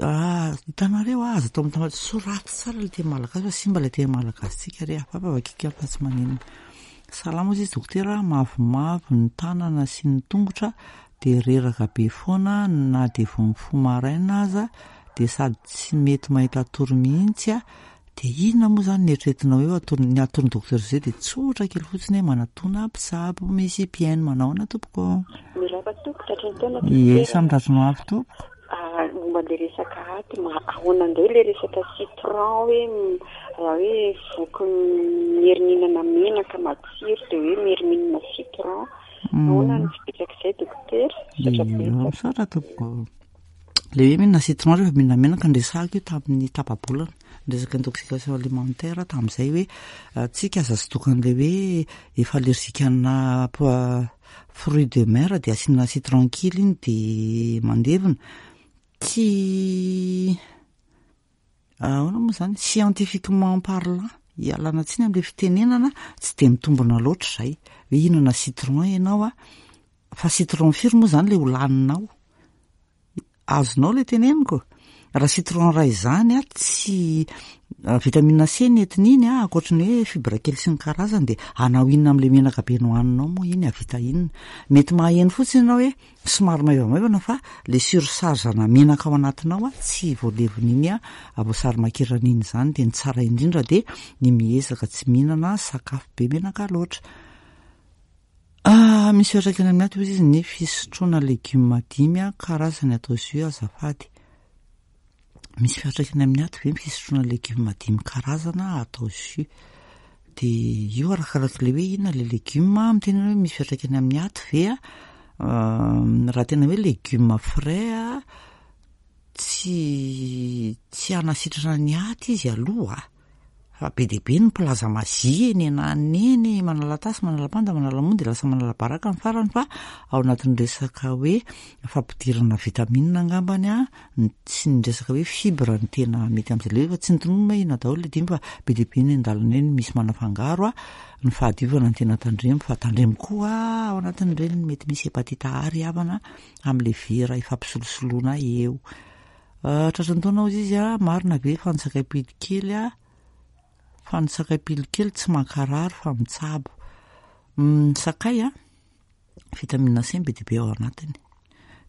Ah, hitanareo a, aza atao mitambatra, soraty tsara le teny malagasy fa simba le teny malagasy-tsika re, hafahafa vakiko ihany fa tsy maninona. Salama hozy izy dokotera, mavomavo ny tanana sy ny tongotra, de reraka be foana na de vao mifoha maraina aza, de sady tsy mety mahita tory mihitsy a. De inona moa zany ny eritreretinao eo atoro ny atoron'ny dokotera zay? De tsotra kely fotsiny hoe manatona mpitsabo misy mpihaino. Manao ahoana tompoko? Miraba tompoko, tratry ny taona. Ie, samy tratry no avy tompoko. Momba le resaka aty, ma ahoana indray le resaka citron, hoe raha hoe voky mieri-mihinana menaka matsiro de hoe mieri-mihinana citron, ahoana ny fipetrak'izay dokotera? Misaotra betsaka. Misaotra tompoko. Le hoe mihinana citron rehefa mihinana menaka nresahako io tamin'ny tapa-bolana, resaka intoxication alimentaire tamin'izay, hoe tsika aza sy tokan'le hoe efa allergique ana fruit de mer de asiana citron kely iny de mandevona. Tsy ahoana moa zany, scientifiquement parlant, ialana tsiny am'le fitenenana, tsy de mitombona loatra zay hoe hihinana citron ianao a, fa citron firy moa zany le ho laninao? Azonao le teneniko? Raha citron iray izany a, tsy vitamine C ny entin'iny a, ankoatry ny hoe fibre kely sy ny karazany, dia hanao inona amin'ilay menaka be nohaninao moa iny, hahavita inona? Mety maheno fotsiny ianao hoe somary maivamaivana, fa le surcharge na menaka ao anatinao a tsy voalevon'iny a voasary makirana iny izany. Dia ny tsara indrindra dia ny miezaka tsy mihinana sakafo be menaka loatra. Ah, misy fiantraikany amin'ny aty hoy izy ny fisotroana legioma dimy a karazany atao jus, azafady. Misy fiantraikany amin'ny aty ve ny fisotroana legioma dimy karazana atao jus? Dia io arakaraka le hoe inona le legioma. Miteny hoe misy fiantraikany amin'ny aty ve a, raha tena hoe legioma frais a, tsy tsy hanasitrana ny aty izy aloha, fa be dia be ny mpilaza mazia eny ananiny eny, manala tasy, manala panda, manala mony, dia lasa manala baraka ny farany. Fa ao anatin'ny resaka hoe fampidirana vitamine angambany a sy ny resaka hoe fibre ny tena mety amin'izay le, fa tsy nitonona hoe inona daholo le dimy, fa be dia be ny an-dalana eny misy manafangaro a. Ny fahadiovana ny tena tandremo, fa tandremo koa ao anatin'ireny mety misy hépatite A ry havana amin'le vera ifampisolosoloana eo. Tratran'ny taona hozy izy a, marina ve fa ny sakay pilo kely a, fa ny sakay pilo kely tsy mankarary fa mitsabo? Ny sakay a, vitamine C be dia be ao anatiny,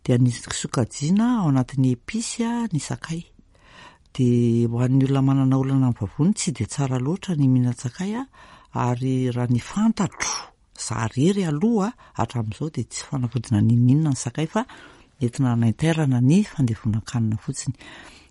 dia anisy sokajiana ao anatin'ny épice a ny sakay. Dia ho an'ny olona manana olana amin'ny vavony, tsy dia tsara loatra ny mihinan-tsakay a, ary raha ny fantatro za rery aloha hatramin'izao dia tsy fanafodina n'inon'inona ny sakay, fa entina hanaintairana ny fandevonan-kanina fotsiny.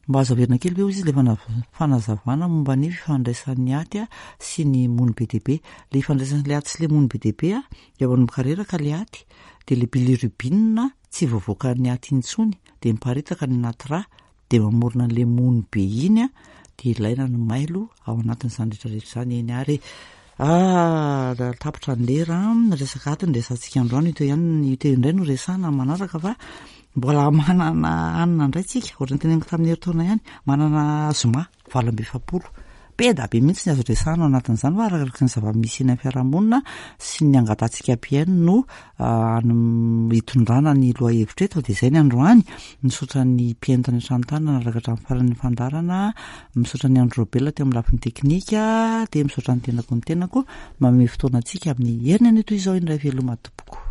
Mba azo averina kely ve hozy izy le fanazavana momba ny fifandraisan'ny aty a sy ny mony be dia be? Le ifandraisan'le aty sy le mony be dia be a, dia manomboka reraka le aty, dia le bilirubine tsy voavoakan'ny aty intsony, dia miparitaka ny anaty rà, dia mamorona an'le mony be iny a, dia ilaina ny mailo ao anatin'izany rehetrarehetra izany eny. Ary ah, tapitra ny lera, resaka aty ny resantsika androany. Ito ihany, ito indray no resana manaraka, fa mbola manana hanina indray tsika, ohatran'ny teneniko tamin'ny herintaona ihany, manana zoma valo amby efapolo be da be mihitsy ny azo resahana ao anatin'izany, fa arakaraka ny zava-misy eny amin'ny fiarahamonina sy ny angatahantsika mpihaino no hitondrana ny lohahevitra eto. Dia izay ny androany. Misaotra ny mpihaino tany an-trano tany nanaraka hatramin'ny faran'ny fandaharana, misaotra ny Andro Robela teo amin'ny lafiny teknika, dia misaotra ny tenako ny tenako manome fotoana antsika amin'ny heriny anio toy izao indray. Veloma tompoko.